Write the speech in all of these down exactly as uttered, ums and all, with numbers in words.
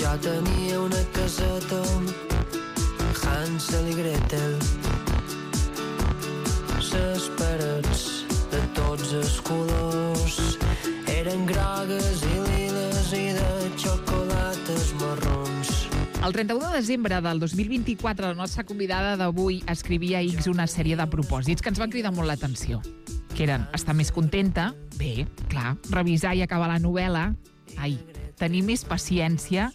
però tenia una caseta Hansel i Gretel. Les parets de tots els colors eren grogues i liles i de xocolates marrons. El trenta-u de desembre del dos mil vint-i-quatre, la nostra convidada d'avui escrivia a X una sèrie de propòsits que ens van cridar molt l'atenció, que eren estar més contenta, bé, clar, revisar i acabar la novel·la, ai, tenir més paciència,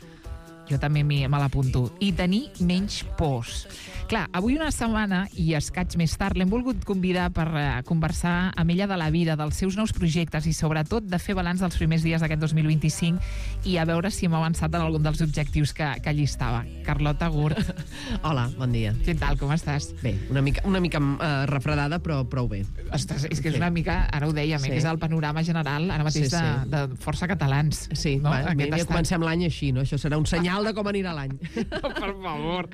jo també me l'apunto, i tenir menys pors. Clar, avui una setmana i escaig més tard l'hem volgut convidar per uh, conversar amb ella de la vida, dels seus nous projectes i sobretot de fer balanç dels primers dies d'aquest dos mil vint-i-cinc i a veure si hem avançat en algun dels objectius que, que llistava. Carlota Gurt. Hola, bon dia. Què tal, com estàs? Bé, una mica, una mica uh, refredada, però prou bé. Ostres, és que és una mica, ara ho dèiem, sí. eh, que és el panorama general ara mateix sí, sí. De, de força catalans. Sí, no? va, ja estat... comencem l'any així, no? Això serà un senyal de com anirà l'any. No, per favor.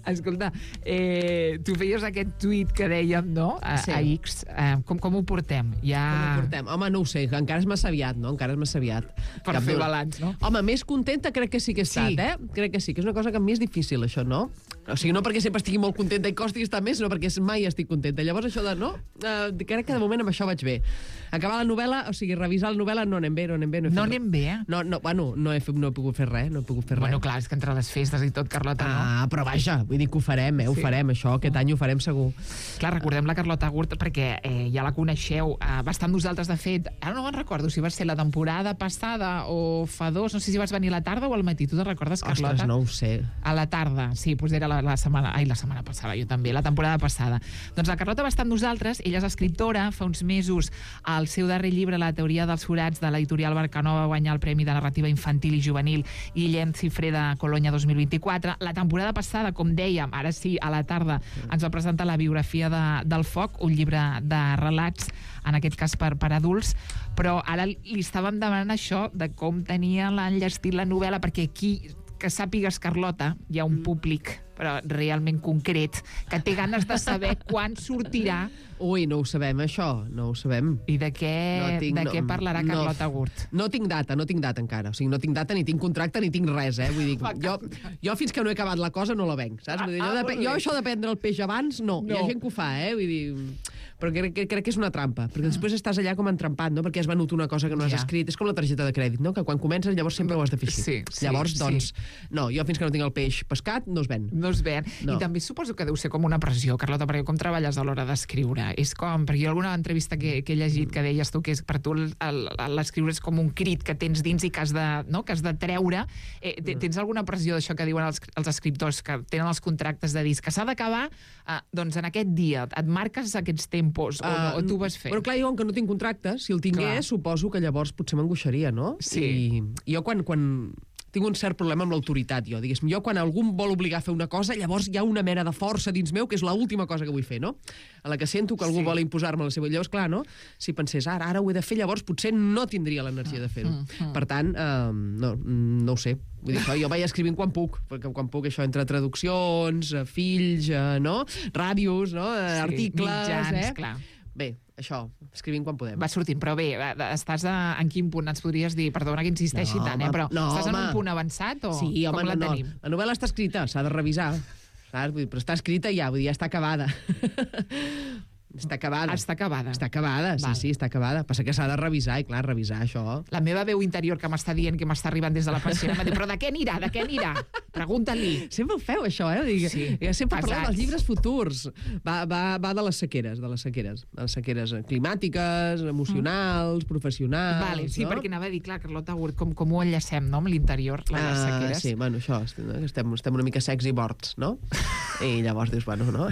Escolta, eh, tu feies aquest tuit que dèiem, no?, a, sí. a X. Eh, com, com ho portem? Ja... Com ho portem? Home, no ho sé, encara és massa aviat, no? Encara és massa aviat. Per Cap fer balanç, no? Home, més contenta crec que sí que he estat, sí. eh? Crec que sí, que és una cosa que a mi és difícil, això, no? O sigui, no perquè sempre estigui molt contenta i costi estar més, sinó perquè mai estic contenta. Llavors, això de, no? Uh, crec que de moment amb això vaig bé. Acabar la novel·la, o sigui, revisar la novel·la no anem bé, no anem bé. No, no anem bé, eh? No, no, bueno, no he, no he pogut fer res, no he pogut fer res. Bueno, clar, és que entre les festes i tot, Carlota, no? Ah, però vaja, vull dir que ho farem, eh? Ho sí. farem, això, aquest any ho farem segur. Clar, recordem la Carlota Gurt perquè eh, ja la coneixeu, eh, va estar amb nosaltres, de fet, ara no me'n recordo si va ser la temporada passada o fa dos, no sé si vas venir a la tarda o al matí, tu te'n recordes, Carlota? Ostres, no ho sé. A la tarda, sí, doncs era la, la setmana, ai, la setmana passada, jo també, la temporada passada. Doncs la Carlota va estar amb nosaltres, ella és escriptora, fa uns mesos el seu darrer llibre, La teoria dels forats, de l'editorial Barcanó, va guanyar el Premi de Narrativa Infantil i Juvenil Guillem Cifré de Colonya dos mil vint-i-quatre. La temporada passada, com dèiem, ara sí, a la tarda, ens va presentar la biografia de, del Foc, un llibre de relats, en aquest cas per, per adults, però ara li estàvem demanant això de com tenia enllestit la novel·la, perquè aquí, que sàpigues, Carlota, hi ha un públic, però realment concret, que té ganes de saber quan sortirà. Ui, no ho sabem, això, no ho sabem. I de què, no tinc, de no, què parlarà Carlota no, Gurt? No tinc data, no tinc data encara. O sigui, no tinc data, ni tinc contracte, ni tinc res, eh? Vull dir, jo, jo fins que no he acabat la cosa no la venc, saps? Vull dir, jo, de, jo això de prendre el peix abans, no. no. Hi ha gent que ho fa, eh? Vull dir... Però crec, crec que és una trampa, perquè després estàs allà com entrampat, no? Perquè has venut una cosa que no has ja. escrit. És com la targeta de crèdit, no? Que quan comences llavors sempre ho has de fer així. Sí, sí, llavors, doncs, sí. no, jo fins que no tinc el peix pescat, no es ven. No es ven. No. I també suposo que deu ser com una pressió, Carlota, perquè com treballes a l'hora d'escriure? És com, perquè jo alguna entrevista que, que he llegit que deies tu que és, per tu l'escriure és com un crit que tens dins i que has de, no? que has de treure. Eh, tens alguna pressió d'això que diuen els, els escriptors que tenen els contractes de disc, que s'ha d'acabar eh, doncs en aquest dia? Et marques aquests tempos o, uh, o tu vas fer? Però clar, jo, que no tinc contracte, si el tingués, clar. Suposo que llavors potser m'angoixaria, no? Sí. I jo quan... quan tinc un cert problema amb l'autoritat, jo. Diguéssim, jo quan algú em vol obligar a fer una cosa, llavors hi ha una mena de força dins meu que és l'última cosa que vull fer, no? A la que sento que algú sí. vol imposar-me la seva... Llavors, clar, no? Si pensés, ara, ara ho he de fer, llavors potser no tindria l'energia de fer-ho. Mm, mm. Per tant, eh, no, no ho sé. Vull dir, això, jo vaig escrivint quan puc, perquè quan puc això entre traduccions, fills, eh, no? Ràdios, no? Sí, articles, mitjans, eh? clar. Bé, això, escrivint quan podem. Va sortint, però bé, estàs a, en quin punt ens podries dir, perdona que insisteixi no, tant, eh, però no, estàs home. en un punt avançat o sí, home, com la no, tenim? La novel·la està escrita, s'ha de revisar, saps? Vull dir, però està escrita ja, vull dir, ja està acabada. Està acabada. Està acabada. Està acabada, sí, Val. sí, està acabada. Passa que s'ha de revisar, i clar, revisar això... La meva veu interior que m'està dient que m'està arribant des de la persiana m'ha dit, però de què anirà, de què anirà? Pregunta-li. Sempre ho feu, això, eh? Dic, sí, sempre pesats. parlem dels llibres futurs. Va, va, va de les sequeres, de les sequeres. De les sequeres climàtiques, emocionals, mm. professionals... Vale, sí, no? perquè anava a dir, clar, Carlota Gurt, com, com ho enllacem, no?, amb l'interior, les uh, sequeres. Sí, bueno, això, estem, estem una mica secs i morts, no? I llavors dius, bueno, no?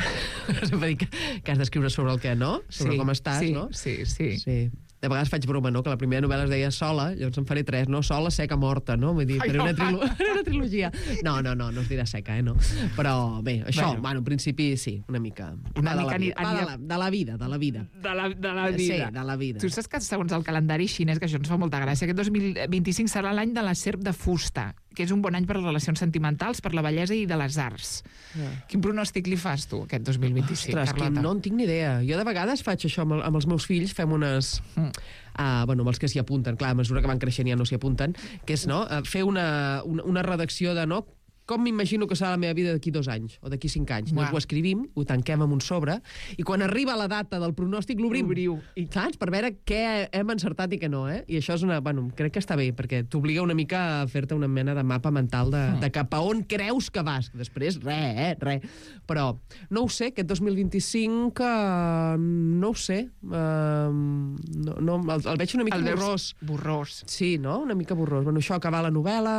Sempre dic que has d'escriure sobre el que no, sobre sí, com estàs, sí, no? Sí, sí. Sí. De vegades faig broma, no? Que la primera novel·la es deia Sola, llavors en faré tres, no? Sola, seca, morta, no? Vull dir, faré una, trilo... una trilogia. No, no, no, no es dirà seca, eh? No. Però bé, això, bueno, bueno en principi sí, una mica. Una de, mica la vida. Aniria... de, la, de la vida, de la vida. De la, de la vida. Sí, de la vida. Tu saps que segons el calendari xinès, que això ens fa molta gràcia, aquest dos mil vint-i-cinc serà l'any de la serp de fusta. que és un bon any per les relacions sentimentals, per la bellesa i de les arts. Ja. Quin pronòstic li fas, tu, aquest dos mil vint-i-cinc, Ostres, Carlota? que no en tinc ni idea. Jo de vegades faig això amb, el, amb els meus fills, fem unes... Mm. Uh, bueno, amb els que s'hi apunten, clar, a mesura que van creixent ja no s'hi apunten, que és, no?, uh, fer una, una, una redacció de, no?, com m'imagino que serà la meva vida d'aquí dos anys, o d'aquí cinc anys. Llavors ho escrivim, ho tanquem en un sobre, i quan arriba la data del pronòstic l'obrim. L'obriu. I clar, per veure què hem encertat i què no, eh? I això és una... Bueno, crec que està bé, perquè t'obliga una mica a fer-te una mena de mapa mental de, de cap a on creus que vas. Després, res, eh? Res. Però, no ho sé, aquest dos mil vint-i-cinc, uh, no ho sé. Uh, no, no, el, el veig una mica el borrós. Borrós. Sí, no? Una mica borrós. Bueno, això, acabar la novel·la...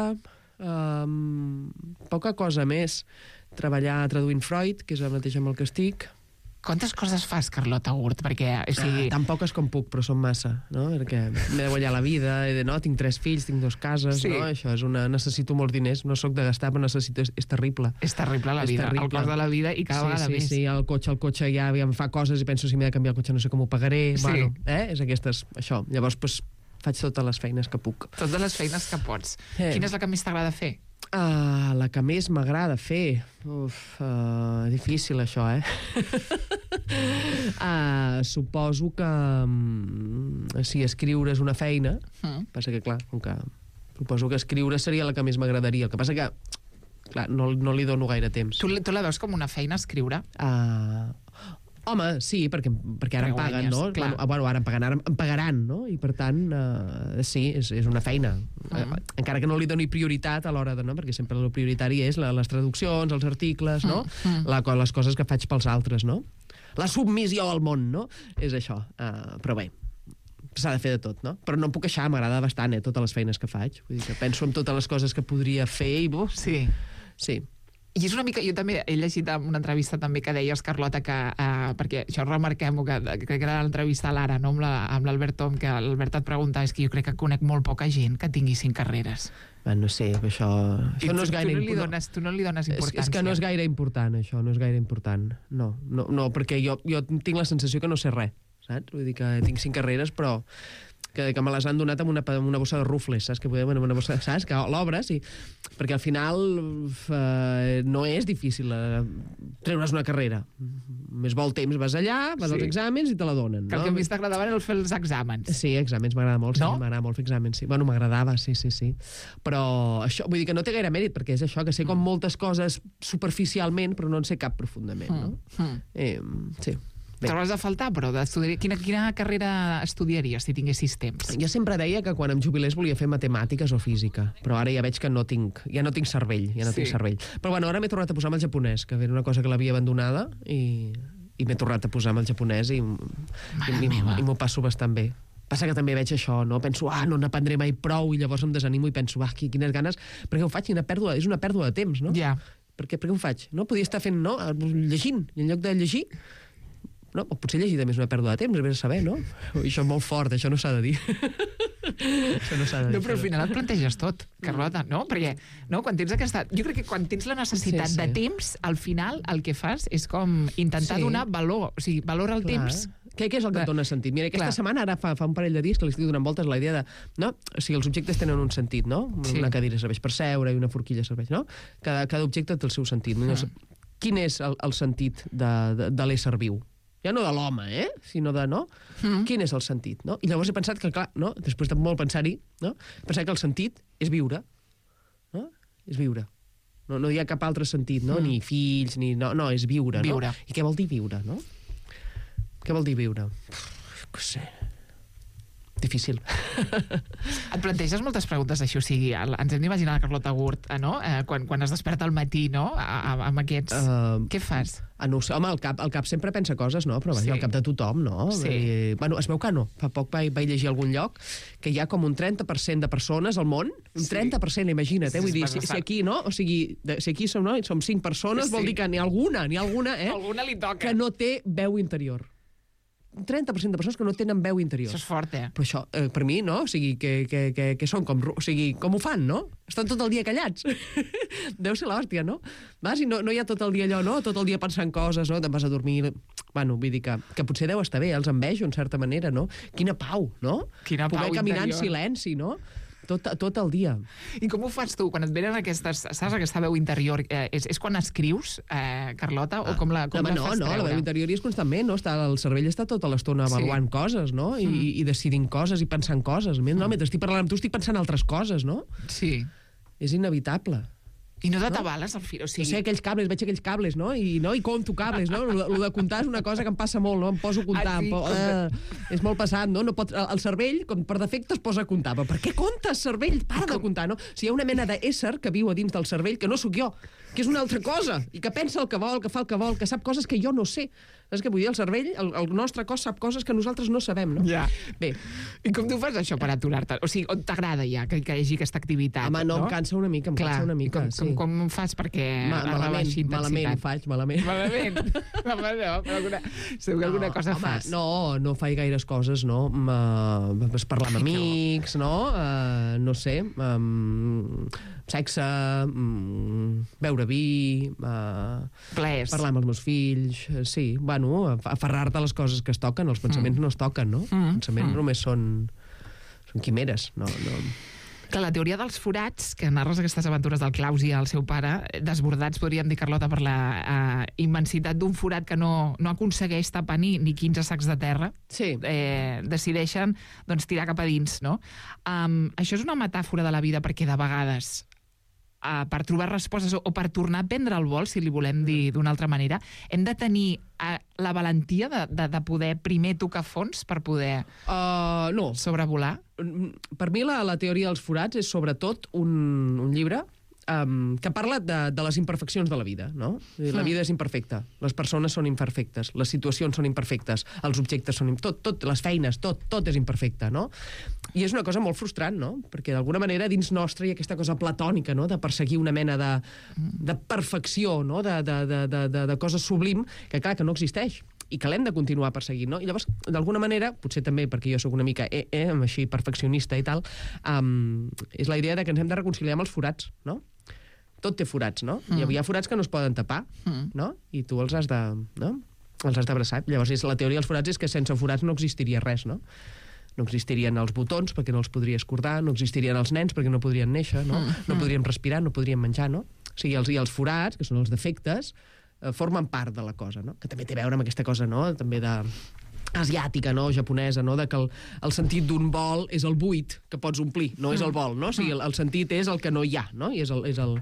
Um, poca cosa més. Treballar traduint Freud, que és el mateix amb el que estic. Quantes coses fas, Carlota Gurt? Perquè, o sigui... Ah, tan poques com puc, però són massa, no? Perquè m'he de guanyar la vida, he de, no? Tinc tres fills, tinc dues cases, Sí. no? Això és una... Necessito molts diners, no sóc de gastar, però necessito... És, és terrible. És terrible la És vida, terrible. el cost de la vida i cada sí, vegada sí, més. Sí, el cotxe, el cotxe ja, ja em fa coses i penso si m'he de canviar el cotxe no sé com ho pagaré. Sí. Bueno, eh? És aquestes... Això. Llavors, doncs, faig totes les feines que puc. Totes les feines que pots. Eh. Quina és la que més t'agrada fer? Uh, la que més m'agrada fer... Uf, uh, difícil això, eh? uh, suposo que... Um, si escriure és una feina, Mm. passa que, clar, com que... Suposo que escriure seria la que més m'agradaria. El que passa que, clar, no, no li dono gaire temps. Tu, tu la veus com una feina, escriure? Uh, home, sí, perquè, perquè ara em Perquè paguen, guanyes, no? clar. Bueno, bueno, ara em pagaran, em pagaran, no? I per tant, uh, sí, és, és una feina. Mm. Uh, encara que no li doni prioritat a l'hora de, no? Perquè sempre el prioritari és la, les traduccions, els articles, no? Mm. La, les coses que faig pels altres, no? La submissió al món, no? És això. Uh, però bé, s'ha de fer de tot, no? Però no em puc queixar, m'agrada bastant, eh, totes les feines que faig. Vull dir que penso en totes les coses que podria fer i... Buf, Sí. sí. I és una mica... Jo també he llegit en una entrevista també que deies, Carlota, que... Eh, perquè això remarquem-ho, que crec que era l'entrevista a l'Ara, no? Amb l'Albert Tom, que l'Albert et preguntava, és que jo crec que conec molt poca gent que tingui cinc carreres. Bueno, no sé, això... Això no és gaire tu, no li important. dones, tu no li dones És, importància. és que no és gaire important, això, no és gaire important. No, no, no perquè jo, jo tinc la sensació que no sé res, saps? Vull dir que tinc cinc carreres, però que, que me les han donat amb una, amb una bossa de rufles, saps? Que podem, amb una bossa, saps? Que l'obres, i... perquè al final eh, no és difícil eh, treure's una carrera. Més vol temps, vas allà, vas Sí. als exàmens i te la donen. Que el no? que més t'agradava era el fer els exàmens. Sí, exàmens, m'agrada molt, sí, No? m'agrada molt fer exàmens, sí. Bueno, m'agradava, sí, sí, sí. Però això, vull dir que no té gaire mèrit, perquè és això, que sé com moltes coses superficialment, però no en sé cap profundament, no? Mm. Eh, sí. Bé. T'hauràs de faltar, però d'estudiar... Quina, quina carrera estudiaries si tinguessis temps? Jo sempre deia que quan em jubilés volia fer matemàtiques o física, però ara ja veig que no tinc, ja no tinc cervell, ja no Sí. tinc cervell. Però bueno, ara m'he tornat a posar amb el japonès, que era una cosa que l'havia abandonada, i, i m'he tornat a posar amb el japonès i, i, i, meva. i m'ho passo bastant bé. Passa que també veig això, no? Penso, ah, no n'aprendré mai prou, i llavors em desanimo i penso, ah, quines ganes, perquè ho faig, quina pèrdua, és una pèrdua de temps, no? Ja. Per què, per què ho faig? No? Podia estar fent, no? Llegint, i en lloc de llegir, no? O potser llegir també és una pèrdua de temps, vés a saber, no? Ui, això és molt fort, això no s'ha de dir. Això no s'ha de dir. No, però al final et planteges tot, Carlota, no? Perquè no, quan tens aquesta... Jo crec que quan tens la necessitat Sí, sí. de temps, al final el que fas és com intentar Sí. donar valor, o sigui, valor al Clar. temps. Què, què és el que et dona sentit? Mira, aquesta Clar. setmana, ara fa, fa un parell de dies que li estic donant voltes a la idea de... No? O sigui, els objectes tenen un sentit, no? Sí. Una cadira serveix per seure i una forquilla serveix, no? Cada, cada objecte té el seu sentit. No? Quin és el, el sentit de, de, de l'ésser viu? Ja no de l'home, eh? Sinó de, no? Mm. Quin és el sentit, no? I llavors he pensat que, clar, no? Després de molt pensar-hi, no? He pensat que el sentit és viure, no? És viure. No, no hi ha cap altre sentit, no? Mm. Ni fills, ni... No, no, és viure, Viure. no? I què vol dir viure, no? Què vol dir viure? No sé. Difícil. Et planteges moltes preguntes així, o sigui, el, ens hem d'imaginar la Carlota Gurt, eh, no? Eh, quan, quan es desperta al matí, no? A, a, amb aquests... Uh, Què fas? ah, no ho sé, home, el cap, el cap sempre pensa coses, no? Però vaja, Sí. el cap de tothom, no? Sí. I, bueno, es veu que no. Fa poc vaig, vaig llegir a algun lloc que hi ha com un trenta per cent de persones al món, un Sí. trenta per cent, imagina't, eh? Sí, Vull dir, és si, si bastant. aquí, no? O sigui, de, si aquí som, no? som cinc persones, Sí. vol dir que n'hi ha alguna, n'hi ha alguna, eh? Alguna li toca. Que no té veu interior. Un trenta per cent de persones que no tenen veu interior. Això és fort, eh? Però això, eh, per mi, no? O sigui, que, que, que, que són com... ru- O sigui, com ho fan, no? Estan tot el dia callats. Deu ser l'hòstia, no? Vas i no, no hi ha tot el dia allò, no? Tot el dia pensant coses, no? Te'n vas a dormir... Bueno, vull dir que, que potser deu estar bé, els envejo, en certa manera, no? Quina pau, no? Quina pau Poder caminar interior. en silenci, no? tot, tot el dia. I com ho fas tu? Quan et venen aquestes... Saps, aquesta veu interior? Eh, és, és quan escrius, eh, Carlota? O com la, com no, la no, fas no, treure? la veu interior hi és constantment, no? Està, el cervell està tota l'estona avaluant sí. coses, no? I, mm. i decidint coses i pensant coses. No? Mentre estic parlant amb tu estic pensant altres coses, no? Sí. És inevitable. I no t'atabales al fil, o sigui... No sé, aquells cables, veig aquells cables, no? I, no? I compto cables, no? Lo, lo de comptar és una cosa que em passa molt, no? Em poso a comptar. Ah, sí? po... uh, és molt passat, no? no pot... El cervell, com per defecte, es posa a comptar. Però per què comptes, cervell? Para de comptar, no? O sigui, hi ha una mena d'ésser que viu a dins del cervell que no sóc jo, que és una altra cosa, i que pensa el que vol, que fa el que vol, que sap coses que jo no sé. Saps què vull dir? El cervell, el, el nostre cos sap coses que nosaltres no sabem, no? Ja. Bé. I com tu fas això per aturar-te? O sigui, on t'agrada ja que, que hi hagi aquesta activitat? Home, no, no? em cansa una mica, em Clar. cansa una mica, com, sí. Com, com fas perquè Ma, malament, intensitat? malament ho faig, malament. Malament? Home, no, però alguna, segur que alguna no, cosa home, fas. No, no faig gaires coses, no? Uh, parlar amb amics, no? Uh, no sé, um, sexe, um, beure vi, uh, Plers. parlar amb els meus fills, uh, sí, bueno, aferrar-te a les coses que es toquen, els pensaments mm. no es toquen, no? Mm. Els pensaments mm. només són, són quimeres, no... no. Que la teoria dels forats, que narres aquestes aventures del Claus i el seu pare, desbordats, podríem dir, Carlota, per la uh, immensitat d'un forat que no, no aconsegueix tapar ni, ni quinze sacs de terra, sí. eh, decideixen doncs, tirar cap a dins, no? Um, això és una metàfora de la vida perquè de vegades Uh, per trobar respostes o, o per tornar a prendre el vol, si li volem dir d'una altra manera, hem de tenir uh, la valentia de, de, de poder primer tocar fons per poder uh, no. sobrevolar? Per mi la, la teoria dels forats és sobretot un, un llibre um, que parla de, de les imperfeccions de la vida, no? La vida és imperfecta, les persones són imperfectes, les situacions són imperfectes, els objectes són... Tot, tot, les feines, tot, tot és imperfecte, no? I és una cosa molt frustrant, no? Perquè d'alguna manera dins nostre hi ha aquesta cosa platònica, no? De perseguir una mena de, de perfecció, no? De, de, de, de, de, de cosa sublim que, clar, que no existeix i que l'hem de continuar perseguint, no? I llavors, d'alguna manera, potser també perquè jo sóc una mica eh, eh, així perfeccionista i tal, um, és la idea de que ens hem de reconciliar amb els forats, no? Tot té forats, no? Mm. Hi ha forats que no es poden tapar, mm. no? I tu els has de... no? Els has d'abraçar. Llavors, és, la teoria dels forats és que sense forats no existiria res, no? No existirien els botons perquè no els podries cordar, no existirien els nens perquè no podrien néixer, no? Mm. No podrien respirar, no podrien menjar, no? O sigui, els, i els forats, que són els defectes, eh, formen part de la cosa, no? Que també té a veure amb aquesta cosa, no? També de... asiàtica, no? Japonesa, no? De que el, el sentit d'un vol és el buit que pots omplir, no és el vol, no? O sigui, el, el sentit és el que no hi ha, no? I és el... És el...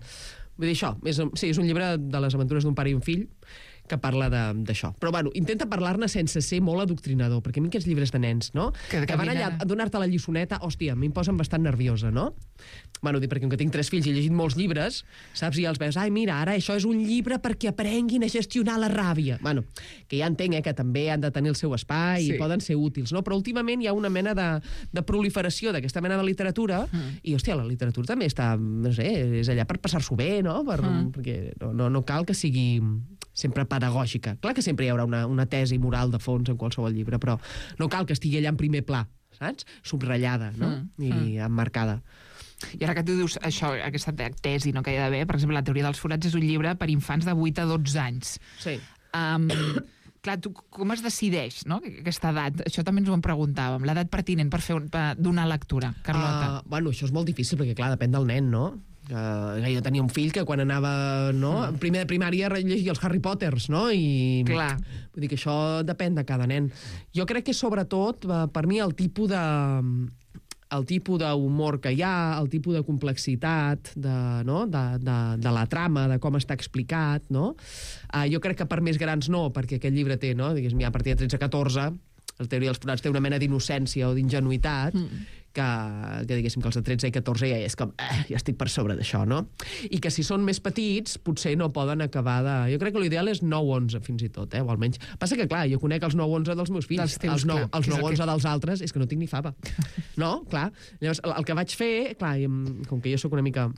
Vull dir, això, és, sí, és un llibre de les aventures d'un pare i un fill que parla d'això. Però, bueno, intenta parlar-ne sense ser molt adoctrinador, perquè a mi aquests llibres de nens, no? Que, que van allà a donar-te la lliçoneta, hòstia, a mi em posen bastant nerviosa, no? Bueno, perquè com que tinc tres fills i he llegit molts llibres, saps, i els veus, ai, mira, ara això és un llibre perquè aprenguin a gestionar la ràbia. Bueno, que ja entenc, eh, que també han de tenir el seu espai sí. i poden ser útils, no? Però últimament hi ha una mena de, de proliferació d'aquesta mena de literatura mm. i, hòstia, la literatura també està, no sé, és allà per passar-s'ho bé, no? Per, mm. Perquè no, no, no cal que sigui sempre pedagògica. Clar que sempre hi haurà una, una tesi moral de fons en qualsevol llibre, però no cal que estigui allà en primer pla, saps? Subratllada, no? Mm. I mm. emmarcada. I ara que tu dius això, aquesta tesi no que hi ha d'haver, per exemple, la teoria dels forats és un llibre per infants de vuit a dotze anys. Sí. Um, clar, tu com es decideix, no?, aquesta edat? Això també ens ho en preguntàvem, l'edat pertinent per fer un, per donar lectura, Carlota. Uh, bueno, això és molt difícil, perquè clar, depèn del nen, no? Uh, jo tenia un fill que quan anava, no, mm. primer de primària llegia els Harry Potters, no? I clar. Vull dir que això depèn de cada nen. Jo crec que sobretot, per mi, el tipus de el tipus d'humor que hi ha, el tipus de complexitat de, no? de, de, de la trama, de com està explicat, no? Uh, jo crec que per més grans no, perquè aquest llibre té, no? Diguéssim, ja a partir de tretze a catorze, la teoria dels forats té una mena d'innocència o d'ingenuïtat, mm. que, que diguéssim que els de tretze i catorze ja és com, eh, ja estic per sobre d'això, no? I que si són més petits, potser no poden acabar de... Jo crec que l'ideal és nou onze, fins i tot, eh? O almenys... Passa que, clar, jo conec els nou onze dels meus fills. Dels teus, els nou, clar, els nou onze que... dels altres és que no tinc ni fava. No? Clar. Llavors, el, el que vaig fer, clar, com que jo sóc una mica...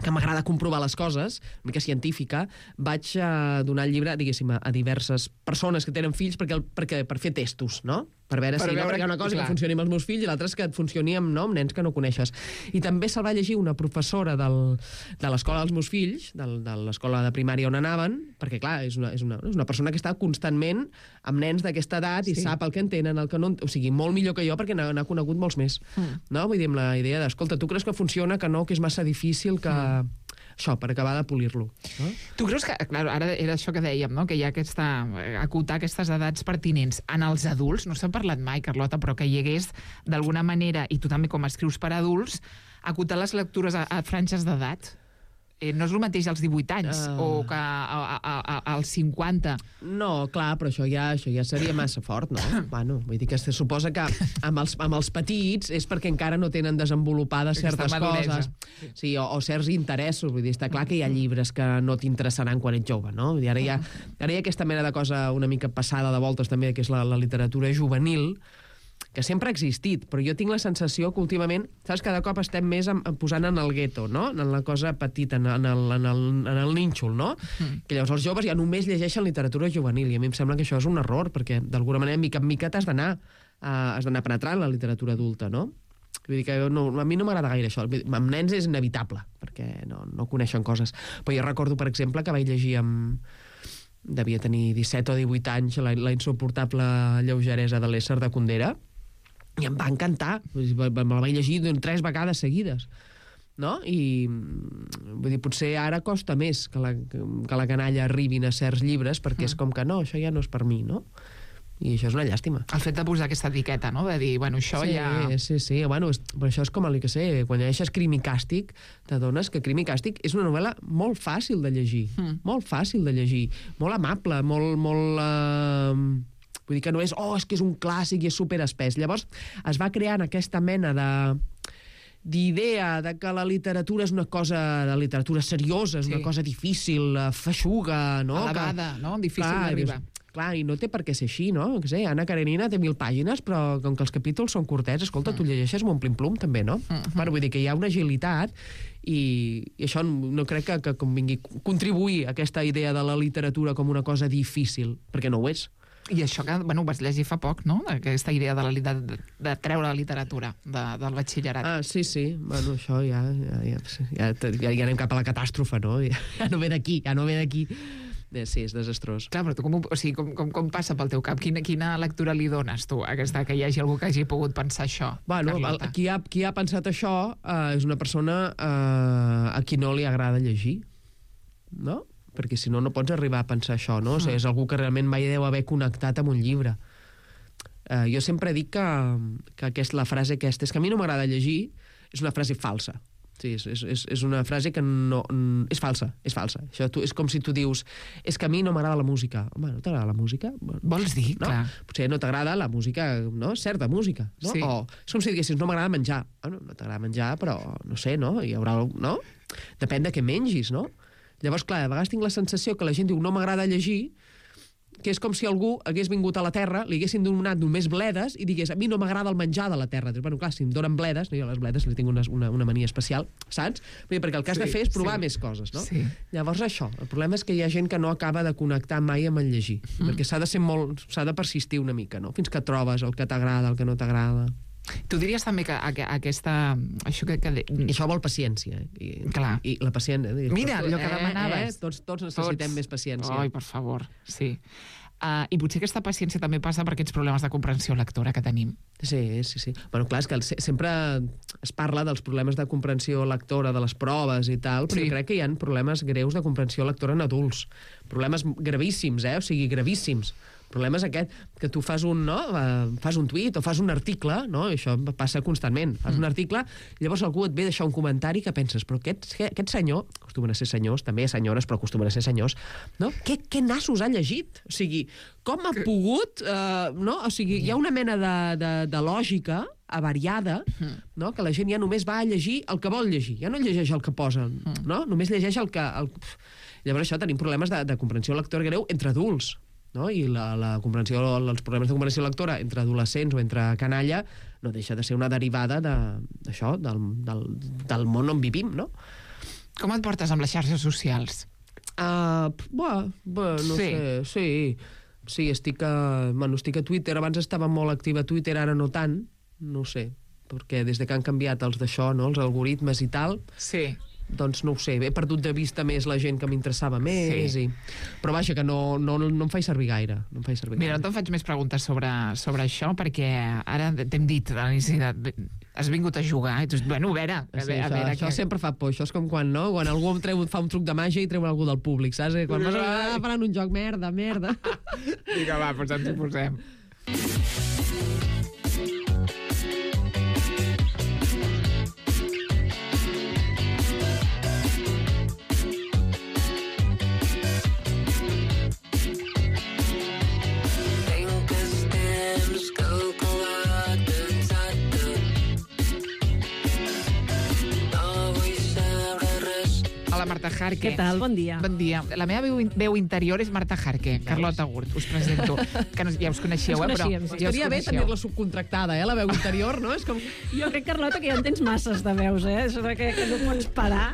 que m'agrada comprovar les coses, una mica científica, vaig uh, donar el llibre, diguéssim, a, a diverses persones que tenen fills perquè, el, perquè, per fer testos, no? per veure Per si veure, no, perquè hi ha una cosa clar. que funcioni amb els meus fills i l'altra és que et funcioni amb, no, amb nens que no coneixes. I també se'l va llegir una professora del, de l'escola dels meus fills, del, de l'escola de primària on anaven, perquè, clar, és una, és una, és una persona que està constantment amb nens d'aquesta edat i Sí. sap el que entenen, el que no... O sigui, molt millor que jo, perquè n'ha n'ha conegut molts més. Mm. No? Vull dir, amb la idea d'escolta, tu creus que funciona, que no, que és massa difícil, que... Mm. Això, per acabar de polir-lo. No? Tu creus que, clar, ara era això que dèiem, no? Que hi ha aquesta, acotar aquestes edats pertinents en els adults, no s'ha parlat mai, Carlota, però que hi hagués, d'alguna manera, i tu també com escrius per adults, acotar les lectures a, a franges d'edat? Eh, no és el mateix als divuit anys uh... o que a, a, a, als cinquanta. No, clar, però això ja, això ja seria massa fort, no? Bueno, vull dir que se suposa que amb els, amb els petits és perquè encara no tenen desenvolupades Aquesta certes maduresa. coses, sí, o, o certs interessos. Vull dir, està clar que hi ha llibres que no t'interessaran quan ets jove, no? Vull dir, ara, hi ha, ara hi ha aquesta mena de cosa una mica passada de voltes també, que és la, la literatura juvenil, que sempre ha existit, però jo tinc la sensació que últimament, saps, cada cop estem més en, en posant en el gueto, no? En la cosa petita, en, en, el, en, el, en el nínxol, no? Mm. Que llavors els joves ja només llegeixen literatura juvenil, i a mi em sembla que això és un error, perquè d'alguna manera, mica en mica, t'has d'anar uh, has d'anar penetrant la literatura adulta, no? Vull dir que no, a mi no m'agrada gaire això. Amb nens és inevitable, perquè no, no coneixen coses. Però jo recordo, per exemple, que vaig llegir amb... devia tenir disset o divuit anys, la, la insuportable lleugeresa de l'ésser de Kundera, i em va encantar. Me la vaig llegir tres vegades seguides, no? I vull dir, potser ara costa més que la, que la canalla arribin a certs llibres, perquè és com que no, això ja no és per mi, no? I això és una llàstima. El fet de posar aquesta etiqueta, no? De dir, bueno, això sí, ja... Sí, sí, bueno, és, però això és com el que sé, quan llegeixes Crim i Càstig, t'adones que Crim i Càstig és una novel·la molt fàcil de llegir, mm. molt fàcil de llegir, molt amable, molt... molt uh... Vull dir que no és, oh, és que és un clàssic i és superespès. Llavors es va creant aquesta mena de d'idea de que la literatura és una cosa, la literatura seriosa, és sí. una cosa difícil, feixuga, no? Elevada, que, no? Difícil d'arribar. Clar, i no té per què ser així, no? Que sé, Anna Karenina té mil pàgines, però com que els capítols són curtets, escolta, mm. tu llegeixes amb un plim-plum, també, no? Mm-hmm. Bueno, vull dir que hi ha una agilitat i, i això no crec que, que convingui contribuir a aquesta idea de la literatura com una cosa difícil, perquè no ho és. I això que, bueno, ho vas llegir fa poc, no? Aquesta idea de, la, de, de treure la literatura de, del batxillerat. Ah, sí, sí. Bueno, això ja, ja, ja, ja, ja, ja anem cap a la catàstrofe, no? Ja, ja no ve d'aquí, ja no ve d'aquí. Sí, és desastrós. Clar, però tu com, o sigui, com, com, com passa pel teu cap? Quina, quina lectura li dones tu a aquesta, que hi hagi algú que hagi pogut pensar això, bueno, Carlota? El, qui, ha, qui ha pensat això uh, és una persona uh, a qui no li agrada llegir, no? Perquè si no, no pots arribar a pensar això, no? O sigui, és algú que realment mai deu haver connectat amb un llibre. Uh, jo sempre dic que, que aquesta, la frase aquesta, és que a mi no m'agrada llegir, és una frase falsa. Sí, és, és, és una frase que no... És falsa, és falsa. Això tu, és com si tu dius, és que a mi no m'agrada la música. Home, no t'agrada la música? Vols dir? No? Clar. Potser no t'agrada la música, no? Certa música, no? Sí. O és com si diguessis, no m'agrada menjar. Bueno, no t'agrada menjar, però no sé, no? Hi haurà... No? Depèn de què mengis, no? Llavors, clar, a vegades tinc la sensació que la gent diu no m'agrada llegir, que és com si algú hagués vingut a la Terra, li haguessin donat només bledes i digués, a mi no m'agrada el menjar de la Terra. Dius, bueno, clar, si em donen bledes, no, jo a les bledes li tinc una, una, una mania especial, saps? Perquè el que has sí, de fer és provar sí. més coses, no? Sí. Llavors això, el problema és que hi ha gent que no acaba de connectar mai amb el llegir, mm. perquè s'ha de ser molt, s'ha de persistir una mica, no? Fins que trobes el que t'agrada, el que no t'agrada. Tu diries també que aquesta... Això, que, que... això vol paciència. Eh? I, Clar. I la paciència... Eh? Mira, allò que eh, demanaves. Eh? Tots, tots necessitem tots. més paciència. Ai, per favor, sí. Uh, I potser aquesta paciència també passa per aquests problemes de comprensió lectora que tenim. Sí, sí, sí. Bueno, clar, és que sempre es parla dels problemes de comprensió lectora, de les proves i tal, però sí. crec que hi ha problemes greus de comprensió lectora en adults. Problemes gravíssims, eh? O sigui, gravíssims. El problema és aquest, que tu fas un, no? Uh, fas un tuit o fas un article, no? I això passa constantment. Fas mm. un article, i llavors algú et ve deixar un comentari que penses, però aquest, aquest senyor, acostumen a ser senyors, també senyores, però acostumen a ser senyors, no? Què, què nassos ha llegit? O sigui, com ha que... pogut... Uh, no? O sigui, hi ha una mena de, de, de lògica avariada, mm. no? Que la gent ja només va a llegir el que vol llegir, ja no llegeix el que posen, mm. no? Només llegeix el que... El... Llavors això, tenim problemes de, de comprensió lectora greu entre adults, no? I la, la comprensió, els problemes de comprensió lectora entre adolescents o entre canalla no deixa de ser una derivada d'això, de, del, del, del món on vivim, no? Com et portes amb les xarxes socials? Uh, buah, buah, no sí. sé, sí. Sí, estic a, bueno, estic a Twitter. Abans estava molt activa a Twitter, ara no tant. No ho sé, perquè des de que han canviat els d'això, no? Els algoritmes i tal... Sí. Doncs no ho sé, he perdut de vista més la gent que m'interessava més. Sí. I... Però vaja, que no, no, no em faig servir gaire. No em faig servir Mira, gaire. no te'n faig més preguntes sobre, sobre això, perquè ara t'hem dit a l'inici de... Has vingut a jugar, i tu, bueno, a veure... A Sí, veure, això, a veure això que... sempre fa por. Això és com quan, no? Quan algú em treu, fa un truc de màgia i treu algú del públic, saps? I quan vas a faran un joc, merda, merda. Vinga, va, doncs ens hi posem. Tinc els temps calculat exacte. No vull saber res. Hola, Marta Jarque. Què tal? Bon dia. Bon dia. La meva veu, veu interior és Marta Jarque, Carlota Gurt, us presento. Que no, ja us coneixeu, Ens eh? Però coneixíem, sí. ja us Estaria bé coneixeu. tenir-la subcontractada, eh? La veu interior, no? És com... Jo crec, Carlota, que ja en tens masses de veus, eh? Això de que, que no pots parar.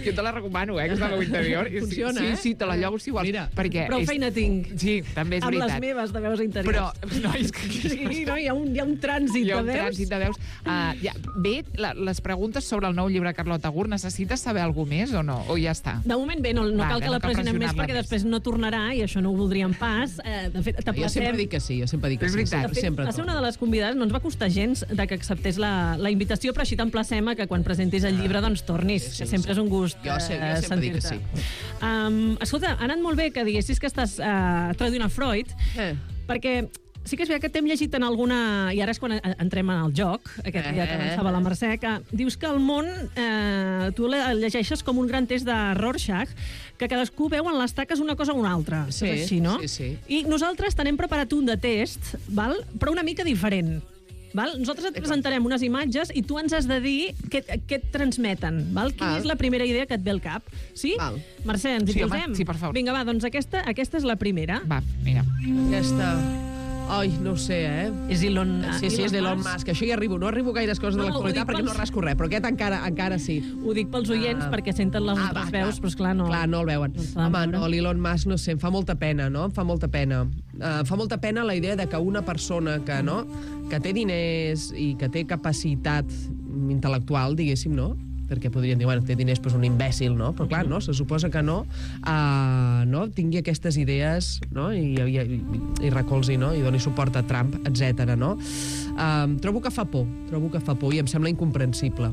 Jo te la recomano, eh, aquesta veu interior. I sí, Funciona, sí, eh? sí, te la llogo si vols. Mira, perquè Prou és... feina tinc. Sí, també és Amb veritat. les meves de veus interiors. Però, no, és que... Sí, no, hi ha un, hi ha un trànsit Hi ha de un veus. trànsit de veus. Uh, ja, bé, la, les preguntes sobre el nou llibre de Carlota Gurt, necessites saber alguna més o no? O ja està? De moment bé, no, no Vale, cal que no la cal pressionem més pressionar-la perquè més. després no tornarà i això no ho voldríem pas. Eh, de fet, Jo t'aplacem. sempre dic que sí, jo sempre dic que És sí. veritat. De fet, Sempre va ser torno. una de les convidades, no ens va costar gens de que acceptés la, la invitació, però així t'emplacem a que quan presentis el llibre doncs tornis, Sí, sí, que sempre sí. és un gust Jo sé- jo eh, sempre dic que sentir-te. Um, escolta, ha anat molt bé que diguessis que estàs uh, traduint a Freud, Eh. perquè sí que és veritat que t'hem llegit en alguna... I ara és quan en- entrem en el joc, aquest dia que Eh. avançava la Mercè, que dius que el món, eh, tu el llegeixes com un gran test de Rorschach, que cadascú veu en les taques una cosa o una altra. Sí, és així, no? sí, sí. I nosaltres t'hem preparat un de test, val? Però una mica diferent. Val? Nosaltres et presentarem unes imatges i tu ens has de dir què, què et transmeten. Val? Quina Val. és la primera idea que et ve al cap? Sí? Val. Mercè, ens hi Sí, home, posem? sí, per favor. Vinga, va, doncs aquesta, aquesta és la primera. Va, mira. Aquesta... Ai, no ho sé, eh? És Elon, Sí, sí, és d'Elon Musk. Això hi arribo. No arribo a gaires coses No, de no, ho l'actualitat dic perquè pels- no rasco res, però aquest encara, encara sí. Ho dic pels oients Ah. perquè senten les Ah, altres va, veus, clar. però esclar, no... Clar, no el veuen. No s'ha de Home, veure. no, l'Elon Musk, no sé, em fa molta pena, no? Em fa molta pena. Uh, em fa molta pena la idea de que una persona que, no, que té diners i que té capacitat intel·lectual, diguéssim, no? Perquè podrien dir, bueno, té diners, però és un imbècil, no? Però clar, no, se suposa que no, uh, no? Tingui aquestes idees, no? I, i, i, i recolzi, no? I doni suport a Trump, etcètera, no? Uh, trobo que fa por, trobo que fa por i em sembla incomprensible.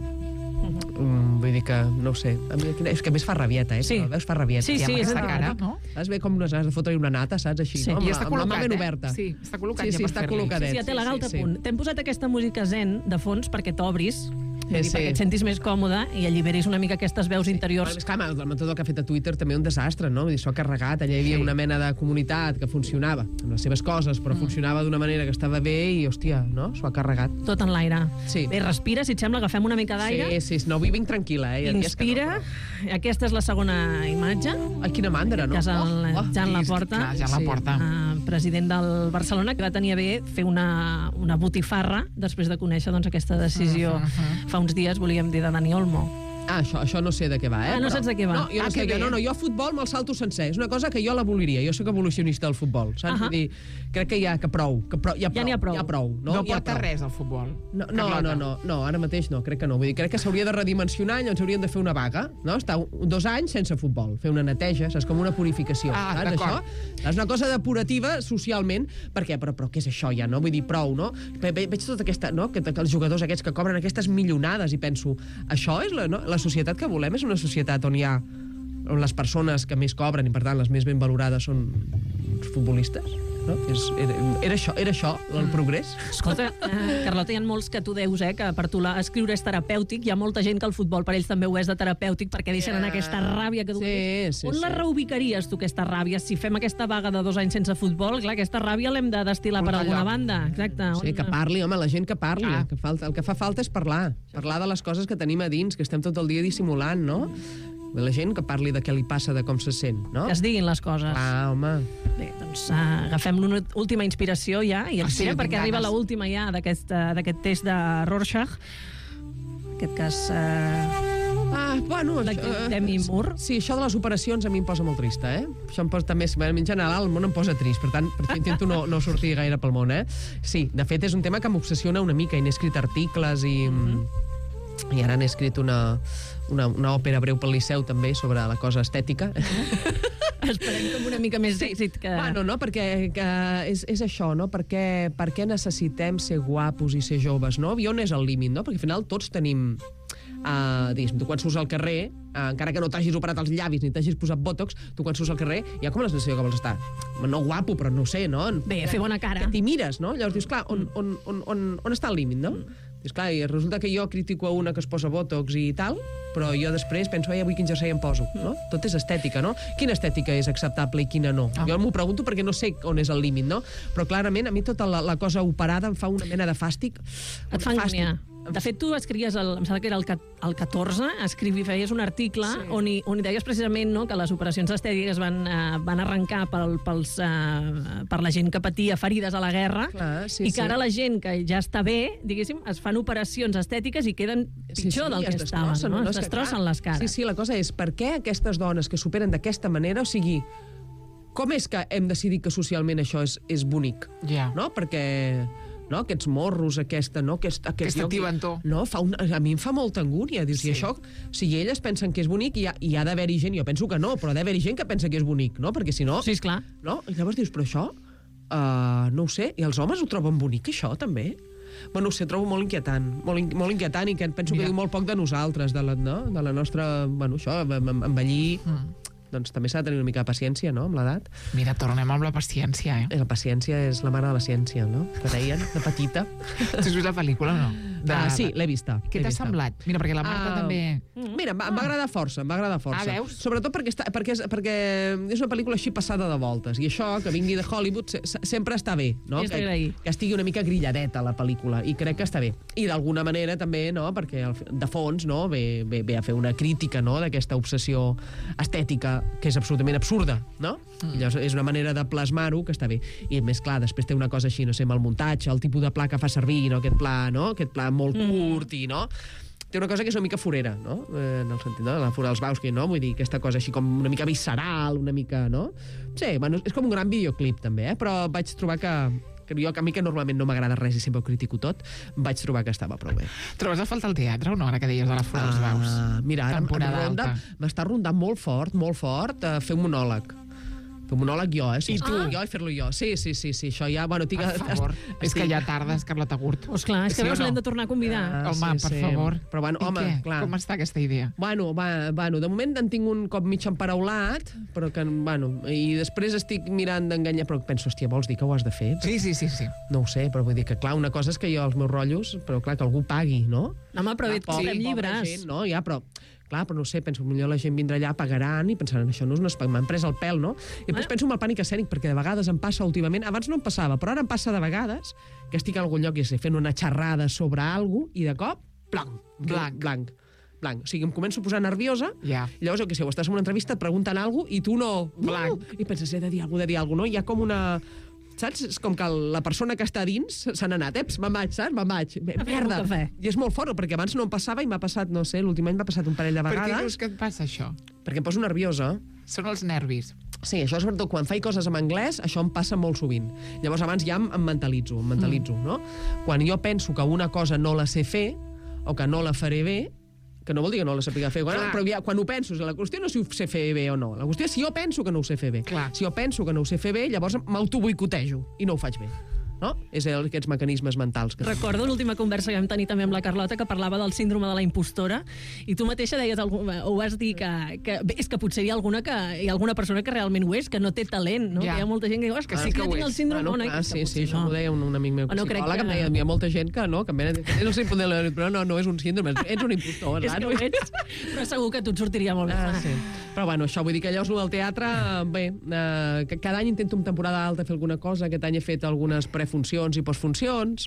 Mm, vull dir que, no ho sé, a mi, és que a més fa rabieta, eh? Sí. Veus, fa rabieta. Sí, I amb sí, és aquesta cara, veritat. no? Saps bé com unes ganes de fotre-hi una nata, saps? Així, Sí. no? Amb I la- està amb la mà col·locat, ben eh? oberta. Sí, està col·locat Sí, ja sí, per està fer-li. col·locadet. Sí, ja té la galta sí, a punt. T'hem posat aquesta música zen de fons perquè t'obris, vull dir, sí. perquè et sentis més còmode i alliberis una mica aquestes veus Però, interiors. és clar, el metode que ha fet a Twitter també un desastre, no? Vull dir, s'ho ha carregat, allà hi havia Sí. una mena de comunitat que funcionava amb les seves coses, però funcionava d'una manera que estava bé i, hòstia, no? S'ho ha carregat. Tot en l'aire. Sí. Bé, respira, si et sembla, agafem una mica d'aire. Sí, sí, no, avui vinc tranquil·la, eh? Hi ha dies que Inspira. Aquesta és la segona imatge. No. Ai, quina mandra, no? Que és el Oh, oh. Jan Sí, Laporta. clar, Jan Sí. Laporta. Uh, president del Barcelona, que va tenir a bé fer una, una botifarra després de conèixer doncs, aquesta decisió fa uns dies, volíem dir, de Dani Olmo. Ah, això, això no sé de què va, eh? Ah, no però- saps de què va? No, jo no Ah, sé que de què, bé. no, no, jo a futbol me'l salto sencer. És una cosa que jo l'aboliria. Jo sóc evolucionista del futbol, saps? Ahà. Vull dir, crec que ja, que prou, que prou, ja, Ja n'hi ha prou. Ja prou, no? No Ja porta prou. res al futbol. No, no, Carlota. no, no, no, ara mateix no, crec que no. Vull dir, crec que s'hauria de redimensionar i llavors hauríem de fer una vaga, no? Estar un, dos anys sense futbol, fer una neteja, saps? Com una purificació, Ah, saps, d'acord. això? És una cosa depurativa socialment, perquè, però, però què és això ja, no? Vull dir, prou, no? Ve, ve, veig tota aquesta, no? Que, que els jugadors aquests que cobren aquestes milionades i penso, això és la, no? La societat que volem? És una societat on hi ha on les persones que més cobren i, per tant, les més ben valorades són els futbolistes? No? És, era, era, això, era això el progrés? Escolta, eh, Carlota, hi ha molts que tu deus, eh, que per tu la, escriure és terapèutic. Hi ha molta gent que el futbol per ells també ho és de terapèutic perquè deixen anar aquesta ràbia que tu Sí, sí, On sí. la reubicaries, tu, aquesta ràbia? Si fem aquesta vaga de dos anys sense futbol, clar, aquesta ràbia l'hem de destil·lar per Portar alguna lloc. banda. Exacte. Sí, On- que parli, home, la gent que parli. Ah. Que falta, el que fa falta és parlar. Parlar de les coses que tenim a dins, que estem tot el dia dissimulant, no? La gent que parli de què li passa, de com se sent, no? Que es diguin les coses. Ah, home. Bé, doncs uh, agafem l'última inspiració ja i Ah, sí, espera, jo tinc perquè arriba ganes. l'última ja d'aquest uh, d'aquest test de Rorschach. En aquest cas... Uh, Ah, bueno... De això, Demi Moore. Sí, això de les operacions a mi em posa molt trista, eh? Això em posa també... En general, el món em posa trist, per tant, per això intento no, no sortir gaire pel món, eh? Sí, de fet, és un tema que m'obsessiona una mica i n'he escrit articles i... Mm-hmm. I ara n'he escrit una, una, una òpera breu pel Liceu, també, sobre la cosa estètica. Esperem com una mica més d'èxit que... Bueno, no, perquè que és, és això, no? Per què, per què necessitem ser guapos i ser joves, no? I on és el límit, no? Perquè al final tots tenim... Uh, diguéssim, tu quan surts al carrer, uh, encara que no t'hagis operat els llavis ni t'hagis posat bòtox, tu quan surts al carrer hi ha com la sensació que vols estar, no guapo, però no sé, no? Bé, fer bona cara. Que t'hi mires, no? Llavors dius, clar, on, on, on, on, on està el límit, no? Dius, clar, i resulta que jo critico a una que es posa bòtox i tal, però jo després penso, ai, avui quin jersei em poso, no? Tot és estètica, no? Quina estètica és acceptable i quina no? Ah. Jo m'ho pregunto perquè no sé on és el límit, no? Però clarament a mi tota la, la cosa operada em fa una mena de fàstic. Et fa angúnia. De fet, tu escrivies, el, em sembla que era el, el catorze, escrivi, feies un article sí. on, hi, on hi deies precisament no, que les operacions estètiques van, uh, van arrencar pel, pels, uh, per la gent que patia ferides a la guerra. Clar, sí, i que sí. ara la gent que ja està bé, diguéssim, es fan operacions estètiques i queden pitjor sí, sí, del que estaven. No? No? Es destrossen les cares. Sí, sí, la cosa és, per què aquestes dones que superen d'aquesta manera, o sigui, com és que hem decidit que socialment això és, és bonic? Ja. No? Perquè... no? Aquests morros, aquesta... No? Aquest, aquest aquesta tibantor. No? Fa un, a mi em fa molta angúnia. Dius, sí. I això, si elles pensen que és bonic, hi ha, hi ha d'haver-hi gent, jo penso que no, però ha d'haver-hi gent que pensa que és bonic, no? Perquè si no... Sí, esclar. No? I llavors dius, però això... Uh, no ho sé. I els homes ho troben bonic, això, també? Bueno, ho sé, trobo molt inquietant. Molt, in, molt inquietant i que penso Mira. que diu molt poc de nosaltres, de la, no? de la nostra... Bueno, això, envellir... Mm. Doncs també s'ha de tenir una mica de paciència, no?, amb l'edat. Mira, tornem amb la paciència, eh? La paciència és la mare de la ciència, no?, que deien, de petita. Tu has vist la pel·lícula o no? De... Ah, sí, l'he vista. Què t'ha semblat? Mira, perquè la Marta uh, també... Mira, em va, ah. em va agradar força, em va agradar força. Ah, veus? Sobretot perquè, està, perquè, és, perquè és una pel·lícula així passada de voltes, i això, que vingui de Hollywood, se, se, sempre està bé, no? És que, que estigui una mica grilladeta la pel·lícula, i crec que està bé. I d'alguna manera també, no?, perquè de fons, no?, ve, ve, ve a fer una crítica, no?, d'aquesta obsessió estètica, que és absolutament absurda, no? Mm. I llavors és una manera de plasmar-ho que està bé. I més clar, després té una cosa així, no sé, amb el muntatge, el tipus de pla que fa servir, no?, aquest pla, no?, aquest pla molt mm. curt i, no?, té una cosa que és una mica forera, no?, eh, en el sentit, no?, la fora dels Bauski, no?, vull dir, aquesta cosa així com una mica visceral, una mica, no? Sí, bueno, és com un gran videoclip, també, eh? Però vaig trobar que que jo, que a mi que normalment no m'agrada res i sempre ho critico tot, vaig trobar que estava prou bé. Trobes a falta el teatre o no, ara que deies de la Fora dels Baus? Uh, mira, ara em ronda, m'està rondant molt fort, molt fort, uh, fer un monòleg. Fer un monòleg jo, eh? I tu? Ah. Jo i fer-lo jo. Sí, sí, sí, sí, això ja... Bueno, tinc... Per favor, estic... és que ja tardes, Carlota Gurt. Pues clar, és que sí, no? l'hem de tornar a convidar. Ah, home, sí, per sí. favor. Però bueno, home, I què? clar. Com està aquesta idea? Bueno, va, bueno, de moment en tinc un cop mig emparaulat, però que, bueno, i després estic mirant d'enganyar, però penso, hòstia, vols dir que ho has de fer? Sí, sí, sí, sí. No ho sé, però vull dir que, clar, una cosa és que jo els meus rotllos, però clar, que algú pagui, no? No, home, però et comprem llibres. Gent, no? Ja, però... Clar, però no sé, penso que millor la gent vindrà allà, pagaran i pensaran, això no és un espai, m'han pres el pèl, no? I després penso en el pànic escènic, perquè de vegades em passa últimament, abans no em passava, però ara em passa de vegades que estic a algun lloc i sé, fent una xerrada sobre alguna cosa i de cop, blanc, blanc, blanc, blanc. O sigui, em començo a posar nerviosa, yeah. I llavors, jo què sé, o estàs en una entrevista, et pregunten alguna cosa i tu no... Blanc. I penses, he de dir alguna cosa, he de dir alguna cosa, no? Hi ha com una... Saps? És com que la persona que està dins se n'ha anat. Eps, me'n vaig, saps? Me'n vaig. Merda. I és molt fort, perquè abans no em passava i m'ha passat, no sé, l'últim any m'ha passat un parell de vegades. Per què creus que et passa això? Perquè em poso nerviosa. Són els nervis. Sí, això sobretot quan faig coses en anglès, això em passa molt sovint. Llavors abans ja em, em mentalitzo, em mentalitzo, mm. no? Quan jo penso que una cosa no la sé fer, o que no la faré bé, que no vol dir que no la sàpiga fer, bueno, però ja, quan ho penso, la qüestió no és si ho sé fer bé o no, la qüestió és si jo penso que no ho sé fer bé. Clar. Si jo penso que no ho sé fer bé, llavors m'autoboicotejo i no ho faig bé. No? És el, aquests mecanismes mentals. Que... Recordo l'última conversa que vam tenir també amb la Carlota, que parlava del síndrome de la impostora, i tu mateixa deies, o vas dir que, que bé, és que potser hi ha alguna, que, hi ha alguna persona que realment ho és, que no té talent, no? Ja. Que hi ha molta gent que diu, que sí que ho és. El síndrome, bueno, no, clar, sí, sí, això no. M'ho deia un, un amic meu no psicòleg, que... em deia, hi ha molta gent que no, que em venen, no sé, però no, no és un síndrome, ets un impostor. És que ho ets, però segur que tu et sortiria molt bé. Ah, sí. Però bueno, això vull dir que llavors del teatre, bé, eh, cada any intento en temporada alta fer alguna cosa, aquest any he fet algunes prefuncions i postfuncions,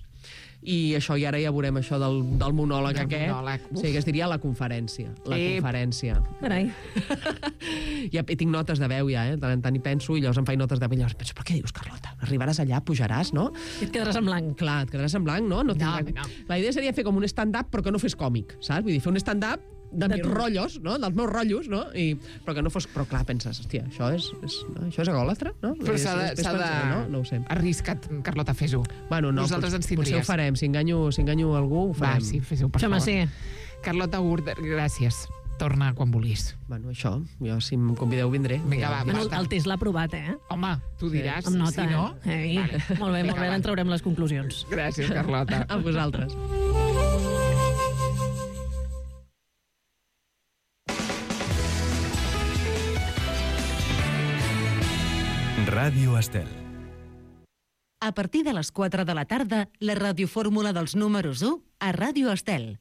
i això, i ara ja veurem això del, del monòleg del aquest. Monòleg. Sí, que es diria la conferència. La Ep. conferència. Carai. Ja tinc notes de veu, ja, eh? Tant en tant hi penso, i llavors em faig notes de veu, i llavors penso, però què dius, Carlota? Arribaràs allà, pujaràs, no? I et quedaràs en blanc. Clar, et quedaràs en blanc, no? No, no, tindrà... no. La idea seria fer com un stand-up, però que no fes còmic, saps? Vull dir, fer un stand-up de, de mis rotllos, no? Dels meus rotllos, no? I, però que no fos... Però clar, penses, hòstia, això és, és, no? això és egòlatra, no? Però s'ha de... És, és, s'ha de... pensar, no? No ho sé. Arrisca't, Carlota, fes-ho. Bueno, no, Nosaltres pot, ens tindries. potser ho farem. Si enganyo, si enganyo algú, ho farem. Va, sí, fes-ho, per Home, favor. sí. Carlota Gurt, gràcies. Torna quan vulguis. Bueno, això, jo si em convideu vindré. Vinga, va, Bueno, basta. el test l'ha aprovat, eh? Home, tu diràs, Amb nota, si no... eh? Ei, Vale. molt bé, Vinga, molt bé, va. en traurem les conclusions. Gràcies, Carlota. A vosaltres. Ràdio Estel. A partir de les quatre de la tarda, la radiofórmula dels números u a Ràdio Estel.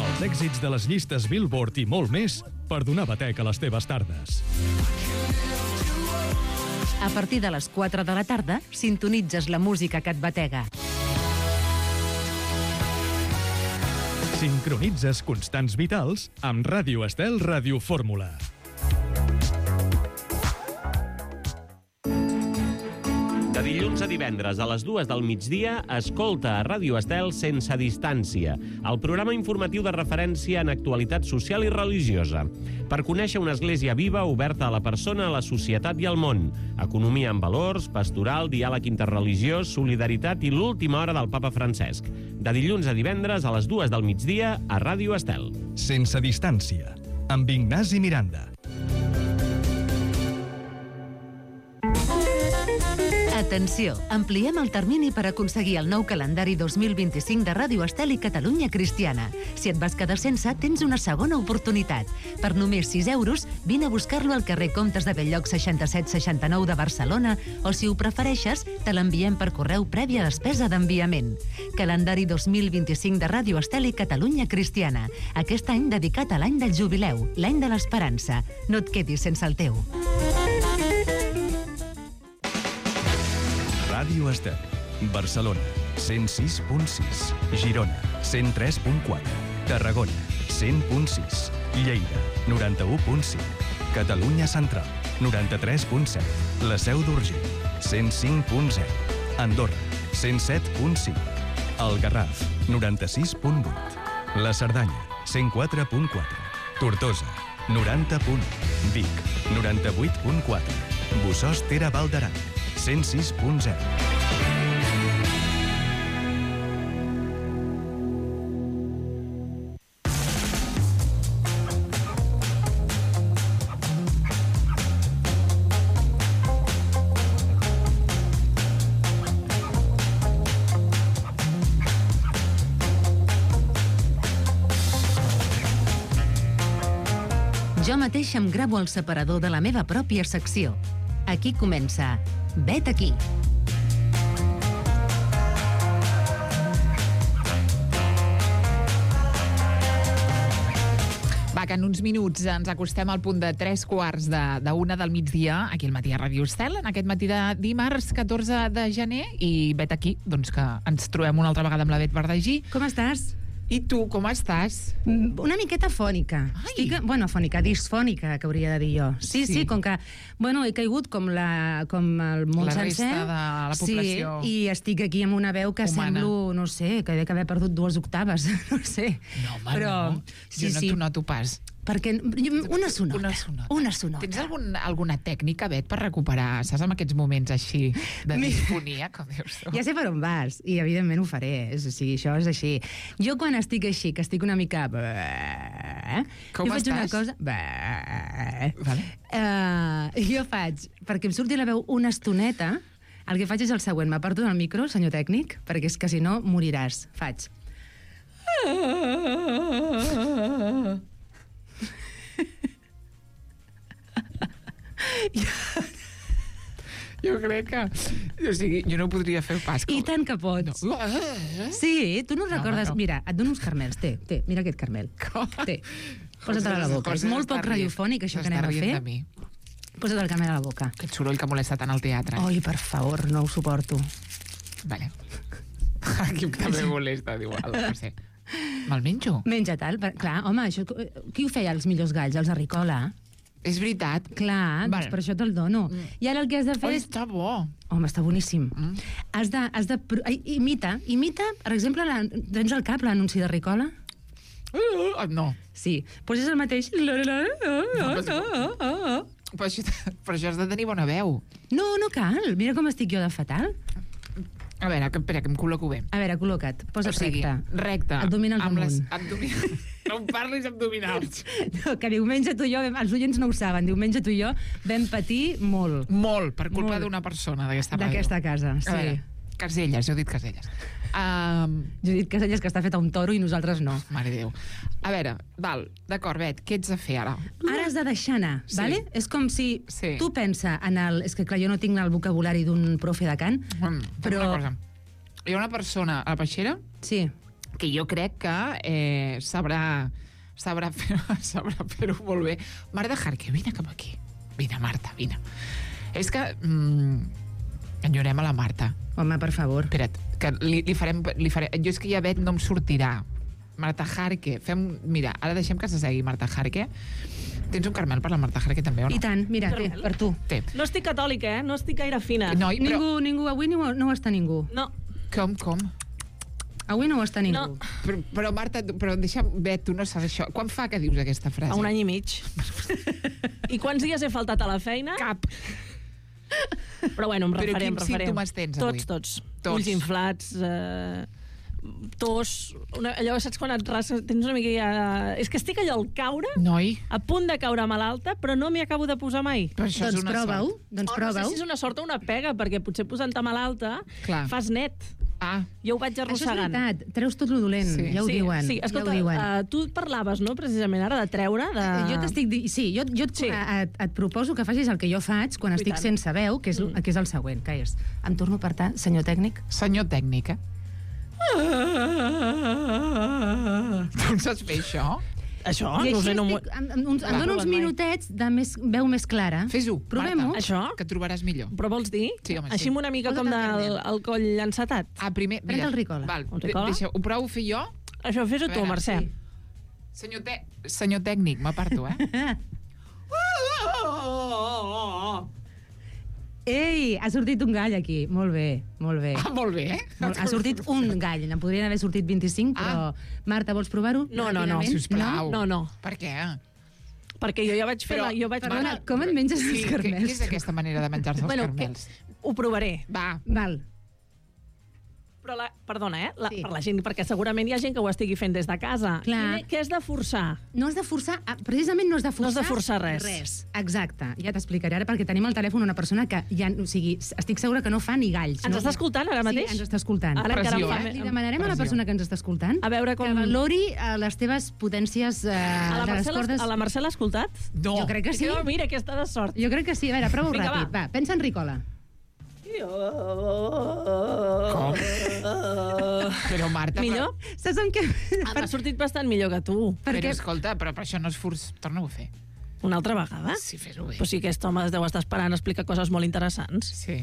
Els èxits de les llistes Billboard i molt més per donar batec a les teves tardes. A partir de les quatre de la tarda, sintonitzes la música que et batega. Sincronitzes constants vitals amb Ràdio Estel Radiofórmula. De dilluns a divendres a les dues del migdia, escolta a Ràdio Estel Sense Distància, el programa informatiu de referència en actualitat social i religiosa. Per conèixer una església viva, oberta a la persona, a la societat i al món. Economia amb valors, pastoral, diàleg interreligiós, solidaritat i l'última hora del papa Francesc. De dilluns a divendres a les dues del migdia a Ràdio Estel. Sense Distància, amb Ignasi Miranda. Atenció, ampliem el termini per aconseguir el nou calendari dos mil vint-i-cinc de Ràdio Estel i Catalunya Cristiana. Si et vas quedar sense, tens una segona oportunitat. Per només sis euros, vine a buscar-lo al carrer Comtes de Belllloc seixanta-set seixanta-nou de Barcelona o, si ho prefereixes, te l'enviem per correu prèvia despesa d'enviament. Calendari dos mil vint-i-cinc de Ràdio Estel i Catalunya Cristiana. Aquest any dedicat a l'any del jubileu, l'any de l'esperança. No et quedis sense el teu. Ràdio Estel. Barcelona, cent sis punt sis. Girona, cent tres punt quatre. Tarragona, cent punt sis. Lleida, noranta-u punt cinc. Catalunya Central, noranta-tres punt set. La Seu d'Urgell, cent cinc punt zero. Andorra, cent set punt cinc. El Garraf, noranta-sis punt vuit. La Cerdanya, cent quatre punt quatre. Tortosa, noranta punt u. Vic, noranta-vuit punt quatre. Bossòst Tere Val d'Aran, cent sis punt zero. Jo mateix em gravo el separador de la meva pròpia secció. Aquí comença Vet aquí. Va, que en uns minuts ens acostem al punt de tres quarts de, de una del migdia, aquí al matí a Ràdio Estel, en aquest matí de dimarts catorze de gener, i vet aquí, doncs que ens trobem una altra vegada amb la Bet Verdagí. Com estàs? I tu, com estàs? Una miqueta fònica. Ai. Estic, bueno, fònica, disfònica, que hauria de dir jo. Sí, sí, Sí. sí, com que, bueno, he caigut com, la, com el món La sencer. resta de la població. Sí, i estic aquí amb una veu que humana. semblo, no sé, que he d'haver perdut dues octaves, no sé. No, home, Però, no. Sí, jo no sí, t'ho noto pas. perquè una sonota. Una sonota. Una sonota. Tens algun, alguna tècnica, Bet, per recuperar, saps, en aquests moments així de Mi- disfonia, com dius tu? Ja sé per on vas, i evidentment ho faré. És, o sigui, això és així. Jo quan estic així, que estic una mica... Com jo faig una estàs? cosa... Vale. Uh, jo faig, perquè em surti la veu una estoneta, el que faig és el següent. M'aparto del micro, senyor tècnic, perquè és que si no moriràs. Faig... Jo crec que... O sigui, jo no podria fer pas. I tant que pots. No. Sí, tu no No, recordes... home, no. Mira, et dono uns carmels. Té, té, mira aquest carmel. Té. Posa't-el a la boca. És José molt s'està poc rient. radiofònic, això que S'està anem a rient fer. de mi. Posa't el carmel a la boca. Aquest soroll que molesta tant al teatre. Ai, per favor, no ho suporto. Vale. Aquí també molesta, diu, no sé. Me'l menjo? Menja tal. Per... Clar, home, això... qui ho feia, els millors galls? Els de Ricola? És veritat. Clar, Vale. doncs per això te'l dono. Mm. I ara el que has de fer Ai, és... està bo. Home, està boníssim. Mm. Has de... Has de... pro- ai, Imita, imita, per exemple, la... tens al cap l'anunci de Ricola? Uh, no. Sí, doncs és el mateix. Però això, però això has de tenir bona veu. No, no cal. Mira com estic jo de fatal. A veure, que, espera, que em col·loco bé. A veure, col·loca't. Posa't O sigui, recte. recte. Abdominals amb les amunt. abdominals. No em parlis abdominals. No, que diumenge tu i jo, vam- els oients no ho saben, diumenge tu i jo vam patir molt Molt, per culpa Molt. d'una persona d'aquesta ràdio. d'aquesta casa. A veure, Sí. Caselles, jo he dit Caselles. Um, Judit Caselles, que està feta un toro i nosaltres no. mare Déu. A veure, val, d'acord, Bet, què ets de fer ara? Ara has de deixar anar, Sí. vale? És com si Sí. tu pensa en el... És que, clar, jo no tinc el vocabulari d'un profe de cant, Mm, però... Una cosa. Hi ha una persona a la peixera Sí. que jo crec que eh, sabrà sabrà fer- sabrà fer-ho molt bé. Marta Jarque, vine cap aquí. Vine, Marta, vine. És que... Mm, enyorem a la Marta. Home, per favor. Espera't, que li, li farem... Li farem jo és que ja veig, no em sortirà. Marta Jarque. Fem, mira, ara deixem que s'assegui Marta Jarque. Tens un caramel per la Marta Jarque també, o no? I tant, mira, té, per tu. Té. No estic catòlica, eh? No estic gaire fina. Noi, però... Ningú, ningú, avui no, ho- no ho està ningú. No. Com, com? Avui no ho està ningú. No. Però, però Marta, tu- però deixa'm... Bé, tu no saps això. Quan fa que dius aquesta frase? Fa un any i mig. I quants dies he faltat a la feina? Cap. Però bueno, em Però refarem, quins refarem. símptomes tens avui? Tots, tots. Tots. Ulls inflats, eh, tos... Una, allò, saps quan et rases? Tens una mica ja... És que estic allò al caure, Noi, a punt de caure malalta, però no m'hi acabo de posar mai. però això Doncs és una prova-ho, sort. doncs Oh, no sé prova-ho. si és una sort o una pega, perquè potser posant-te malalta Clar. fas net. Ah, Jo ho vaig Això és arrossegant. veritat, treus tot lo dolent, Sí. ja ho sí, diuen. Sí, escolta, ja ho diuen. uh, tu parlaves, no?, precisament ara, de treure... De... Jo t'estic di... Sí, jo, jo et, Sí. et, et proposo que facis el que jo faig quan estic tant. sense veu, que és, mm. que és el següent, que és... Em torno a apartar, senyor tècnic. senyor tècnica. Tu en saps fer això? Això? I No ho així sé, no m'ho- estic, em, em, uns, em Va. dono uns Mai. minutets de més, veu més clara. Fes-ho, Provem-ho. Marta. Això? Que trobaràs millor. Però vols dir? Sí, home, sí. Així amb una mica Posa't com el del carnet. el coll encetat. Ah, primer... Pren el Ricola. Val, Un de- Ricola? deixa, ho provo a fer jo? Això fes-ho A tu, veure, Mercè. sí. Senyor, te... senyor tècnic, m'aparto, eh? Ei, ha sortit un gall aquí. Molt bé, molt bé. Ah, molt bé, eh? Molt- Ha sortit un gall, en podrien haver sortit vint-i-cinc, però... Marta, vols provar-ho? No, no, no, ràpidament? Sisplau. No, no. Per què? Perquè jo ja vaig fer... Però- la, jo vaig Perdona, fer com et menges Sí, els què, carmels? què és aquesta manera de menjar-se els Bueno, carmels? la... Ho provaré. Va, Val. Però, la... perdona, eh? La... Sí. Per la gent, perquè segurament hi ha gent que ho estigui fent des de casa. Clar. Quin- Què has de forçar? No has de forçar, ah, precisament no has de forçar... No has de forçar res. Res, exacte. Ja t'explicaré ara, perquè tenim al telèfon una persona que ja, o sigui, estic segura que no fa ni galls. Ens no? està escoltant ara mateix? Sí, ens està escoltant. Ara encara Pressió, em fa... eh? Li demanarem a la Pressió. persona que ens està escoltant A veure com... que valori eh, les teves potències eh, A la de les Mercè l'has- cordes. a la Mercè l'ha escoltat? no. Jo crec que sí. Oh, mira, aquesta de sort. Jo crec que sí. A veure, prova-ho Vinga, ràpid. Va. va. pensa en Ricola. Com? Però, Marta... Millor? Saps amb què? Ah, M'ha sortit bastant millor que tu. Però, Perquè però escolta, però per això no és furs... Torna-ho a fer. Una altra vegada? Sí, fes-ho bé. Però sí, aquest home es deu estar esperant a explicar coses molt interessants. Sí.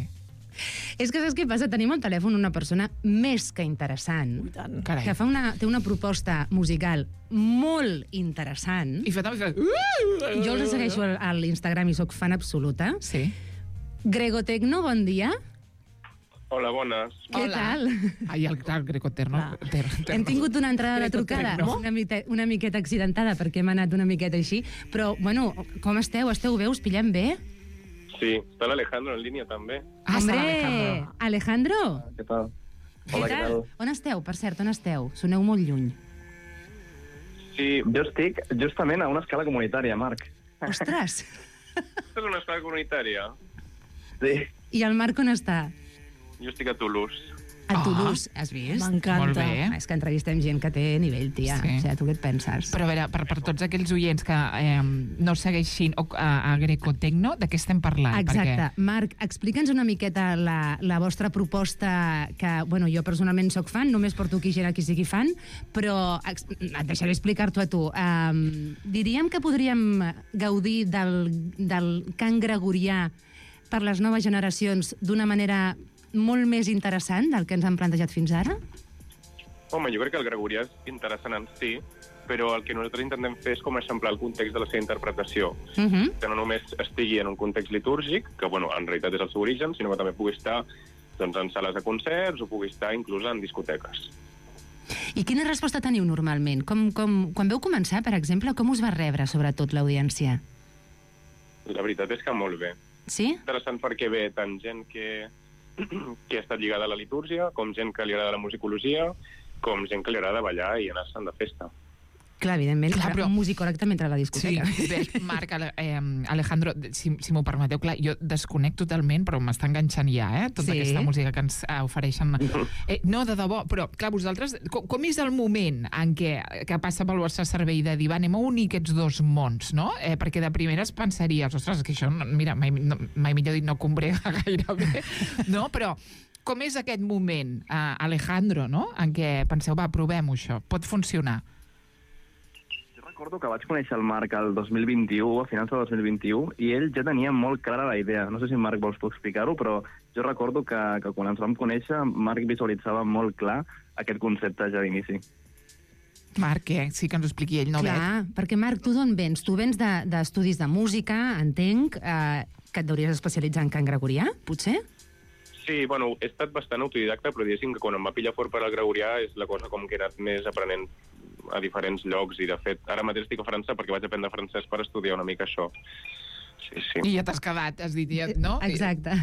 és que saps què passa? Tenim al telèfon una persona més que interessant I tant. Carai. que fa una, té una proposta musical molt interessant. I fa també... Jo els segueixo al- a l'Instagram i sóc fan absoluta. Sí. Gregotecno, bon dia. Hola, bones. Què Hola. tal? Ai, el, el grecoterno. Ter, ter, Hem tingut una entrada de Gregotecno. trucada una, mite, una miqueta accidentada perquè hem anat una miqueta així, però, bueno, com esteu? Esteu bé? Us pillem bé? Sí, està l'Alejandro en línia també. Ah, està Hombre, l'Alejandro. Alejandro, Què tal? què tal? On esteu? Per cert, on esteu? Soneu molt lluny. Sí, Jo estic justament a una escala comunitària, Marc. Ostres! aquesta és una escola comunitària. Sí. I el Marc on està? Jo estic a Toulouse. A Ah. Toulouse, has vist? M'encanta. Molt bé. Ah, és que entrevistem gent que té nivell, tia. Sí. O sigui, tu què et penses? Però a veure, per, per tots aquells oients que eh, no segueixin o, a, a Grecotecno, de què estem parlant? Exacte. Perquè... Marc, explica'ns una miqueta la, la vostra proposta, que, bueno, jo personalment sóc fan, només porto aquí gent a qui sigui fan, però ex- et deixaré explicar-t'ho a tu. Um, diríem que podríem gaudir del, del cant gregorià per les noves generacions d'una manera molt més interessant del que ens han plantejat fins ara? Home, jo crec que el gregorià és interessant en si, però el que nosaltres intentem fer és com eixamplar el context de la seva interpretació. Uh -huh. Que no només estigui en un context litúrgic, que bueno, en realitat és el seu origen, sinó que també pugui estar doncs, en sales de concerts o pugui estar inclús en discoteques. I quina resposta teniu normalment? Com, com, quan veu començar, per exemple, com us va rebre, sobretot, l'audiència? La veritat és que molt bé. Sí? Interessant perquè ve tant gent que, que ha estat lligada a la litúrgia, com gent que li agrada la musicologia, com gent que li agrada ballar i anar-se'n de festa. Clar, evidentment, Clar, però... un musicòleg també entra a la discoteca. Sí, bé, Marc, Ale, eh, Alejandro, si, si m'ho permeteu, clar, jo desconec totalment, però m'està enganxant ja, eh, tota Sí. aquesta música que ens eh, ofereixen. Eh, no, de debò, però, clar, vosaltres, com, com és el moment en què que passa pel vostre cervell de dir, va, anem a unir aquests dos mons, no? Eh, perquè de primeres pensaries, ostres, que això, mira, mai, no, mai millor dit, no combrega gairebé, no? Però com és aquest moment, eh, Alejandro, no?, en què penseu, va, provem-ho això, pot funcionar? Recordo que vaig conèixer el Marc el dos mil vint-i-u, a finals del dos mil vint-i-u, i ell ja tenia molt clara la idea. No sé si en Marc vols explicar-ho, però jo recordo que, que quan ens vam conèixer, Marc visualitzava molt clar aquest concepte ja d'inici. Marc, què? Sí que ens ho expliqui ell, no Clar, veig. perquè Marc, tu d'on vens? Tu vens d'estudis de, de música, entenc, eh, que et hauries especialitzar en cant gregorià, potser? Sí, bueno, he estat bastant autodidacta, però diguéssim que quan em va pillar fort per al gregorià és la cosa com que he anat més aprenent a diferents llocs, i de fet, ara mateix estic a França perquè vaig aprendre francès per estudiar una mica això. Sí, sí. I ja t'has quedat, has dit, ja, no? Exacte.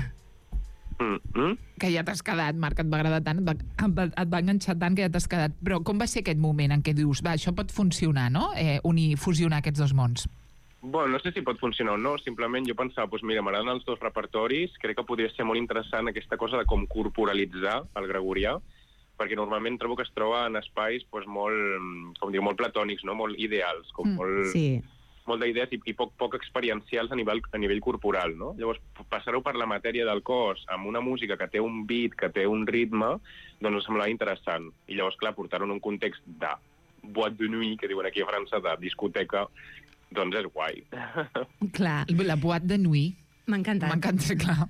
Mm -hmm. Que ja t'has quedat, Marc, et va agradar tant, et va, et va, et va enganxar tant que ja t'has quedat. Però com va ser aquest moment en què dius, va, això pot funcionar, no? Eh, unir, fusionar aquests dos mons. Bueno, no sé si pot funcionar o no, simplement jo pensava, doncs mira, m'agraden els dos repertoris, crec que podria ser molt interessant aquesta cosa de com corporalitzar el gregorià, perquè normalment trobo que es troba en espais doncs, molt, com diu, molt platònics, no? Molt ideals, com Mm, molt, sí. molt d'idees i, i poc, poc experiencials a nivell, a nivell corporal. No? Llavors, passar-ho per la matèria del cos, amb una música que té un beat, que té un ritme, doncs em semblava interessant. I llavors, clar, portar-ho en un context de boîte de nuit, que diuen aquí a França, de discoteca, doncs és guai. Clar. La boîte de nuit. M'ha encantat. M'ha encantat, clar.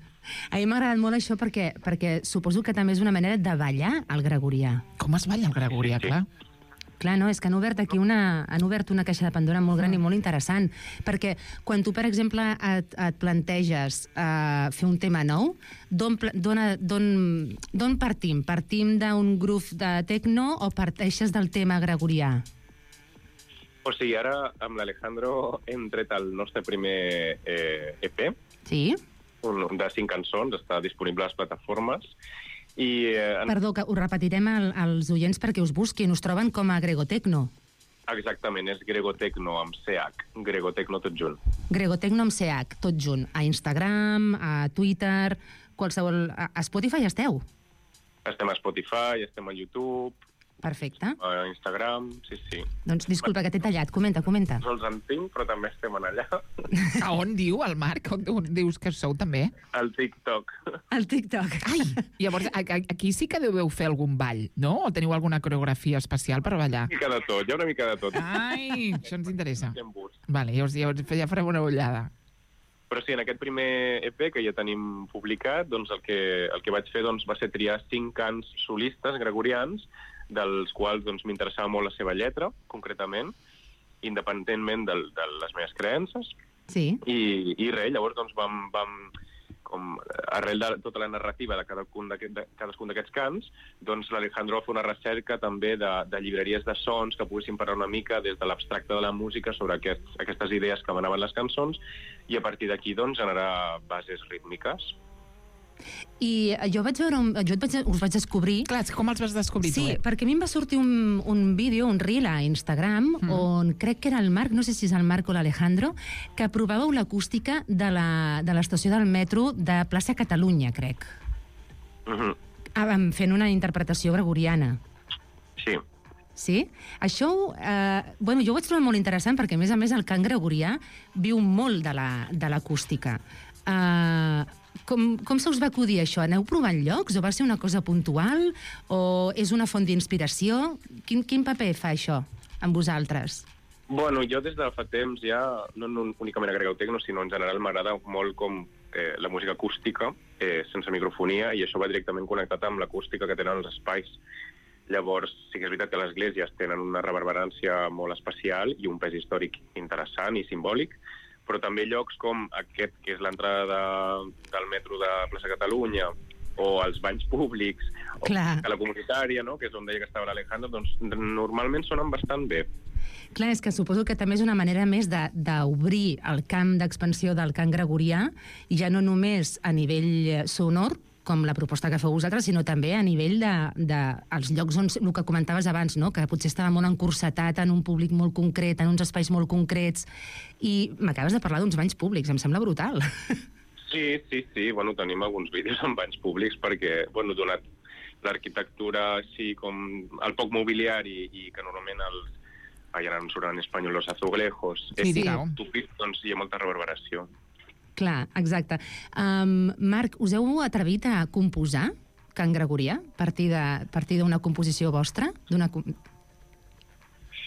A mi m'ha agradat molt això perquè, perquè suposo que també és una manera de ballar el gregorià. Com es balla el gregorià, Sí. clar? Clar, no, és que han obert aquí una, han obert una caixa de Pandora molt gran i molt interessant, perquè quan tu, per exemple, et, et planteges uh, fer un tema nou, d'on pla- d'on- d'on d'on partim? Partim d'un grup de tecno o parteixes del tema gregorià? O sigui, ara amb l'Alejandro hem tret el nostre primer eh, E P, Sí? un de cinc cançons, està disponible a les plataformes, i eh, en- Perdó, que ho repetirem al, als oients perquè us busquin. Us troben com a Gregotecno. exactament, és Gregotecno amb C H, Gregotecno tot junt. Gregotecno amb C H, tot junt. A Instagram, a Twitter, qualsevol... A a Spotify esteu? Estem a Spotify, estem a YouTube, Perfecte. a Instagram, sí, sí. Doncs disculpa que t'he tallat. Comenta, comenta. No els en tinc, però també estem en allà. A on diu el Marc? On, on dius que sou també? Al TikTok. Al TikTok. Ai, llavors a, a, aquí sí que deveu fer algun ball, no? O teniu alguna coreografia especial per ballar? Una mica de tot, hi ha una mica de tot. Ai, això ens interessa. Hi ha bus. Vale, llavors, llavors ja farem una ullada. Però sí, en aquest primer E P que ja tenim publicat, doncs el que, el que vaig fer doncs, va ser triar cinc cants solistes gregorians, dels quals doncs, m'interessava molt la seva lletra, concretament, independentment del, de les meves creences. Sí. I, i res, llavors doncs, vam, vam com, arrel de tota la narrativa de cadascun d'aquest- de cadascun d'aquests cants, doncs l'Alejandro va fer una recerca també de, de llibreries de sons que poguessin parlar una mica des de l'abstracte de la música sobre aquest, aquestes idees que manaven les cançons, i a partir d'aquí doncs, generar bases rítmiques. I jo vaig veure, un, jo et vaig, us vaig descobrir... Clar, com els vas descobrir Sí, tu, eh? perquè a mi em va sortir un, un vídeo, un reel a Instagram, mm. on crec que era el Marc, no sé si és el Marc o l'Alejandro, que provàveu l'acústica de la- de l'estació del metro de plaça Catalunya, crec. Mm -hmm. Ah, fent una interpretació gregoriana. Sí. Sí? Això, eh, bueno, jo ho vaig trobar molt interessant perquè, a més a més, el cant gregorià viu molt de la- de l'acústica. La, eh, com, com se us va acudir això? Aneu provant llocs? O va ser una cosa puntual? O és una font d'inspiració? Quin, quin paper fa això amb vosaltres? Bueno, jo des de fa temps ja, no, no únicament a Gregotecno, sinó en general m'agrada molt com eh, la música acústica, eh, sense microfonia, i això va directament connectat amb l'acústica que tenen els espais. Llavors, sí que és veritat que les esglésies tenen una reverberància molt especial i un pes històric interessant i simbòlic, però també llocs com aquest, que és l'entrada de, del metro de Plaça Catalunya, o als banys públics, Clar. o a la comunitària, no?, que és on deia que estava l'Alejandro, doncs normalment sonen bastant bé. Clar, és que suposo que també és una manera més de- d'obrir el camp d'expansió del cant gregorià, i ja no només a nivell sonor, com la proposta que feu vosaltres, sinó també a nivell de, de els llocs on, el que comentaves abans, no?, que potser estava molt encursetat en un públic molt concret, en uns espais molt concrets, i m'acabes de parlar d'uns banys públics, em sembla brutal. Sí, sí, sí, bueno, tenim alguns vídeos en banys públics perquè, bueno, donat l'arquitectura així com el poc mobiliari i que normalment els, ai, ara no em surt en espanyol, los azulejos, Sí, és digueu. tupit, doncs hi ha molta reverberació. Clar, exacte. Um, Marc, us heu atrevit a composar cant gregorià a partir de- a partir d'una composició vostra? D'una... com-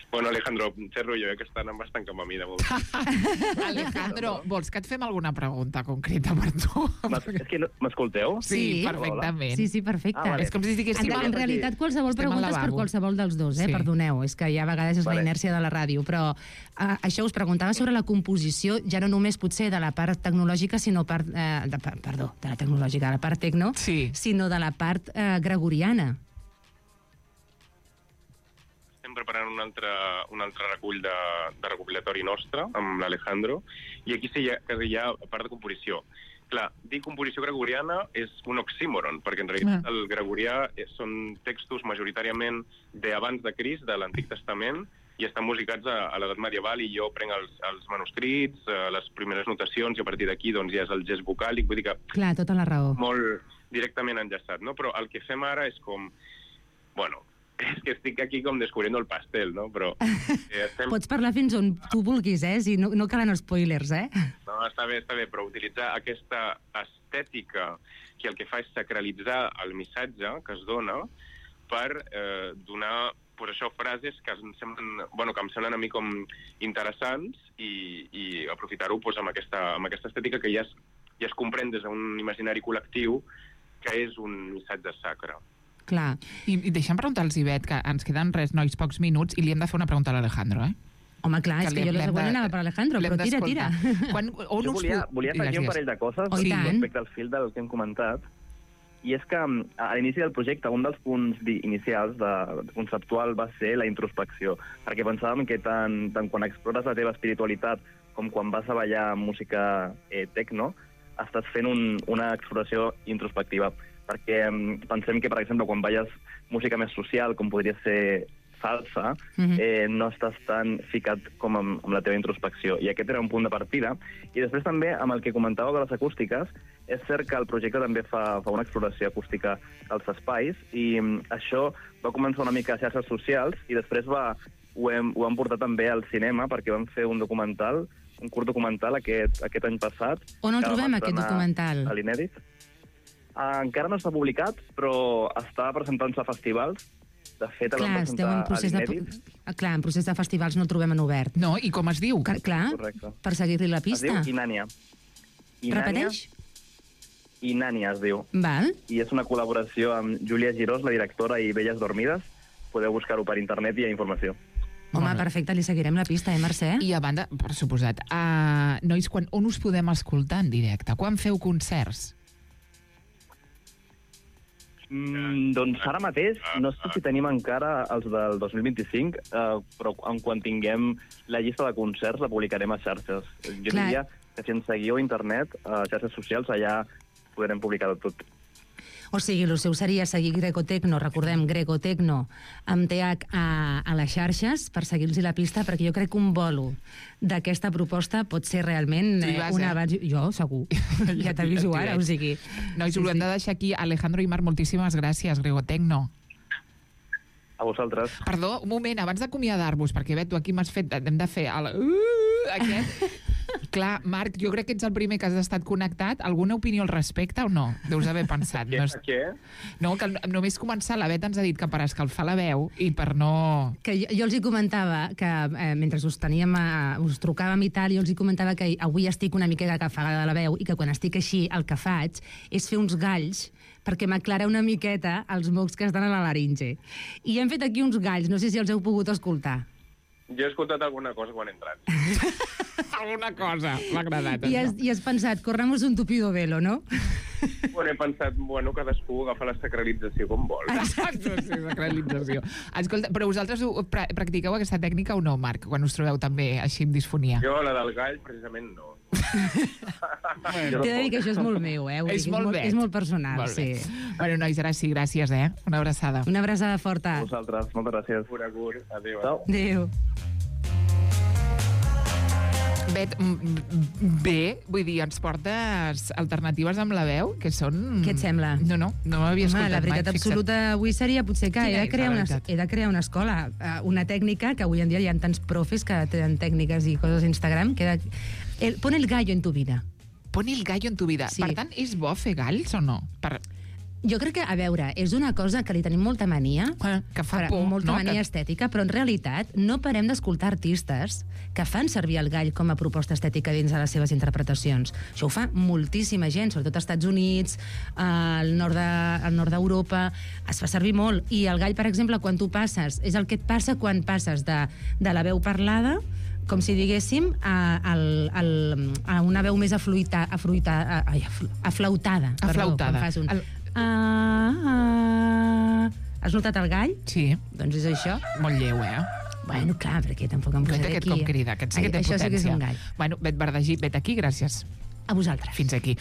Bueno, Alejandro, xerro jo, eh, que estan bastant com a mi de moment. Alejandro, vols que et fem alguna pregunta concreta per tu? M'es- És que no- m'escolteu? Sí, perfectament. Sí, sí, perfecte. Ah, vale. És com si estiguéssim... En, en realitat, qualsevol Estem al pregunta és per lavabo. qualsevol dels dos, eh? Sí. Perdoneu, és que ja a vegades és Vale. la inèrcia de la ràdio, però uh, això us preguntava sobre la composició, ja no només potser de la part tecnològica, sinó part, uh, de, per- perdó, de la tecnològica, de la part tecno, Sí. sinó de la part uh, gregoriana. Estem preparant un altre, un altre recull de, de recopilatori nostre, amb l'Alejandro, i aquí sí hi ha, que hi ha part de composició. Clar, dir composició gregoriana és un oxímoron, perquè en realitat Clar. el gregorià és- són textos majoritàriament d'abans de Crist, de l'Antic Testament, i estan musicats a, a l'edat medieval, i jo prenc els, els manuscrits, eh, les primeres notacions, i a partir d'aquí doncs, ja és el gest vocàlic, vull dir que Clar, tota la raó. molt directament enllaçat, no? Però el que fem ara és com... Bueno, és que estic aquí com descubriendo el pastel, no? Però eh, estem... Pots parlar fins on tu vulguis, eh? Si no, no calen spoilers, eh? No, està bé, està bé, però utilitzar aquesta estètica que el que fa és sacralitzar el missatge que es dona per eh, donar pues això, frases que em semblen, bueno, que em semblen a mi com interessants i, i aprofitar-ho pues, amb, aquesta, amb aquesta estètica que ja es, ja es comprèn des d'un imaginari col·lectiu que és un missatge sacre. Clar. I, i deixa'm preguntar al Ivet, que ens queden res, nois, pocs minuts, i li hem de fer una pregunta a l'Alejandro, eh? Home, clar, és Que que l'hem- jo la l'hem següent de- anava per Alejandro, l'hem però tira, tira. d'escoltar. Quan, on Jo us volia, pu- volia Digues, afegir un digues. parell de coses Oh, i tant. respecte al fil del que hem comentat. I és que mm, a l'inici del projecte un dels punts di- inicials de, de conceptual va ser la introspecció, perquè pensàvem que tant, tant quan explores la teva espiritualitat com quan vas a ballar música eh, techno, estàs fent un, una exploració introspectiva. Perquè mm, pensem que, per exemple, quan balles música més social, com podria ser salsa, Mhm. eh, no estàs tan ficat com amb, amb la teva introspecció. I aquest era un punt de partida. I després també, amb el que comentàveu de les acústiques, és cert que el projecte també fa, fa una exploració acústica als espais, i mm, això va començar una mica a xarxes socials, i després va, ho, hem, ho vam portar també al cinema, perquè vam fer un documental, un curt documental aquest, aquest any passat. On el que vam trobem, aquest estrenar documental? A l'Inèdit. Ah, encara no està publicat, però està presentant-se a festivals. De fet, el vam Clar, esteu en presentar a procés de... l'Inèdit. Ah, clar, en procés de festivals no el trobem en obert. No, i com es diu? Clar, clar, Correcte. per seguir-li la Es diu pista. Inània. Repeteix? Inània es diu. Val. I és una col·laboració amb Júlia Girós, la directora, i Belles Dormides. Podeu buscar-ho per internet i hi ha informació. Home, Molt bé. perfecte, li seguirem la pista, eh, Mercè? I a banda, per suposat, uh, nois, quan, on us podem escoltar en directe? Quan feu concerts? Mm, doncs ara mateix, no sé si tenim encara els del dos mil vint-i-cinc, eh, però en quan tinguem la llista de concerts la publicarem a xarxes. Jo Clar. diria que si ens seguiu a internet, a xarxes socials, allà podrem publicar tot. O sigui, el seu seria seguir Grecotecno, recordem, Grecotecno, amb T H a, a les xarxes, per seguir-los la pista, perquè jo crec que un bolo d'aquesta proposta pot ser realment Tu hi eh, vas, una... eh? abans- Jo, segur. ja t'aviso t'hi ara, veig. o sigui... Nois, Sí, us ho hem sí. de deixar aquí. Alejandro i Marc, moltíssimes gràcies, Gregotecno. A vosaltres. Perdó, un moment, abans d'acomiadar-vos, perquè bé, tu aquí m'has fet... Hem de fer el... Uh, aquest... Clar, Marc, jo crec que ets el primer que has estat connectat. Alguna opinió al respecte o no? Deus haver pensat. Què? No, és... Què? no que només començar, la Bet ens ha dit que per escalfar la veu i per no... Que jo, jo els hi comentava que eh, mentre us teníem, a, us trucàvem i tal, jo els hi comentava que avui estic una miqueta cafagada de la veu i que quan estic així el que faig és fer uns galls perquè m'aclara una miqueta els mocs que estan a la laringe. I hem fet aquí uns galls, no sé si els heu pogut escoltar. Jo he escoltat alguna cosa quan he entrat. Alguna cosa, m'ha agradat. I has, I has pensat, corremos un tupido velo, no? Bueno, he pensat, bueno, cadascú agafa la sacralització com vol. Exacte, sí, sacralització. Escolta, però vosaltres ho, pra practiqueu aquesta tècnica o no, Marc, quan us trobeu també així amb disfonia? Jo, la del gall, precisament no. T'he de dir que això és molt meu, eh? És molt bé. És molt personal, molt sí. Bueno, nois, ara sí, gràcies, eh? Una abraçada. Una abraçada forta. Vosaltres, moltes gràcies. Cura, cura. Adéu. Adéu. Bet, bé, vull dir, ens portes alternatives amb la veu, que són... Què et sembla? No, no, no m'havia escoltat mai. La veritat fixa't. absoluta avui seria potser que he de, crear una, he de crear una escola, una tècnica, que avui en dia hi ha tants profes que tenen tècniques i coses a Instagram, que de... el, pon el gallo en tu vida. Pon el gallo en tu vida. Sí. Per tant, és bo fer galls o no? Per... Jo crec que, a veure, és una cosa que li tenim molta mania, ah, que fa por, molta no? mania que... estètica, però en realitat no parem d'escoltar artistes que fan servir el gall com a proposta estètica dins de les seves interpretacions. Això ho fa moltíssima gent, sobretot als Estats Units, al nord de, al nord d'Europa, es fa servir molt. I el gall, per exemple, quan tu passes, és el que et passa quan passes de, de la veu parlada, com si diguéssim, a, a, a una veu més afluita, afluita, a, ai, aflautada. Aflautada. Perdó, un... El... Ah, ah. Has notat el gall? Sí. Doncs és això. Molt lleu, eh? Bueno, clar, perquè tampoc em posaré aquest aquí. Com crida, aquest sí que té Això potència. sí que és un gall. Bueno, Bet Verdagí, vet aquí, gràcies. A vosaltres. Fins aquí.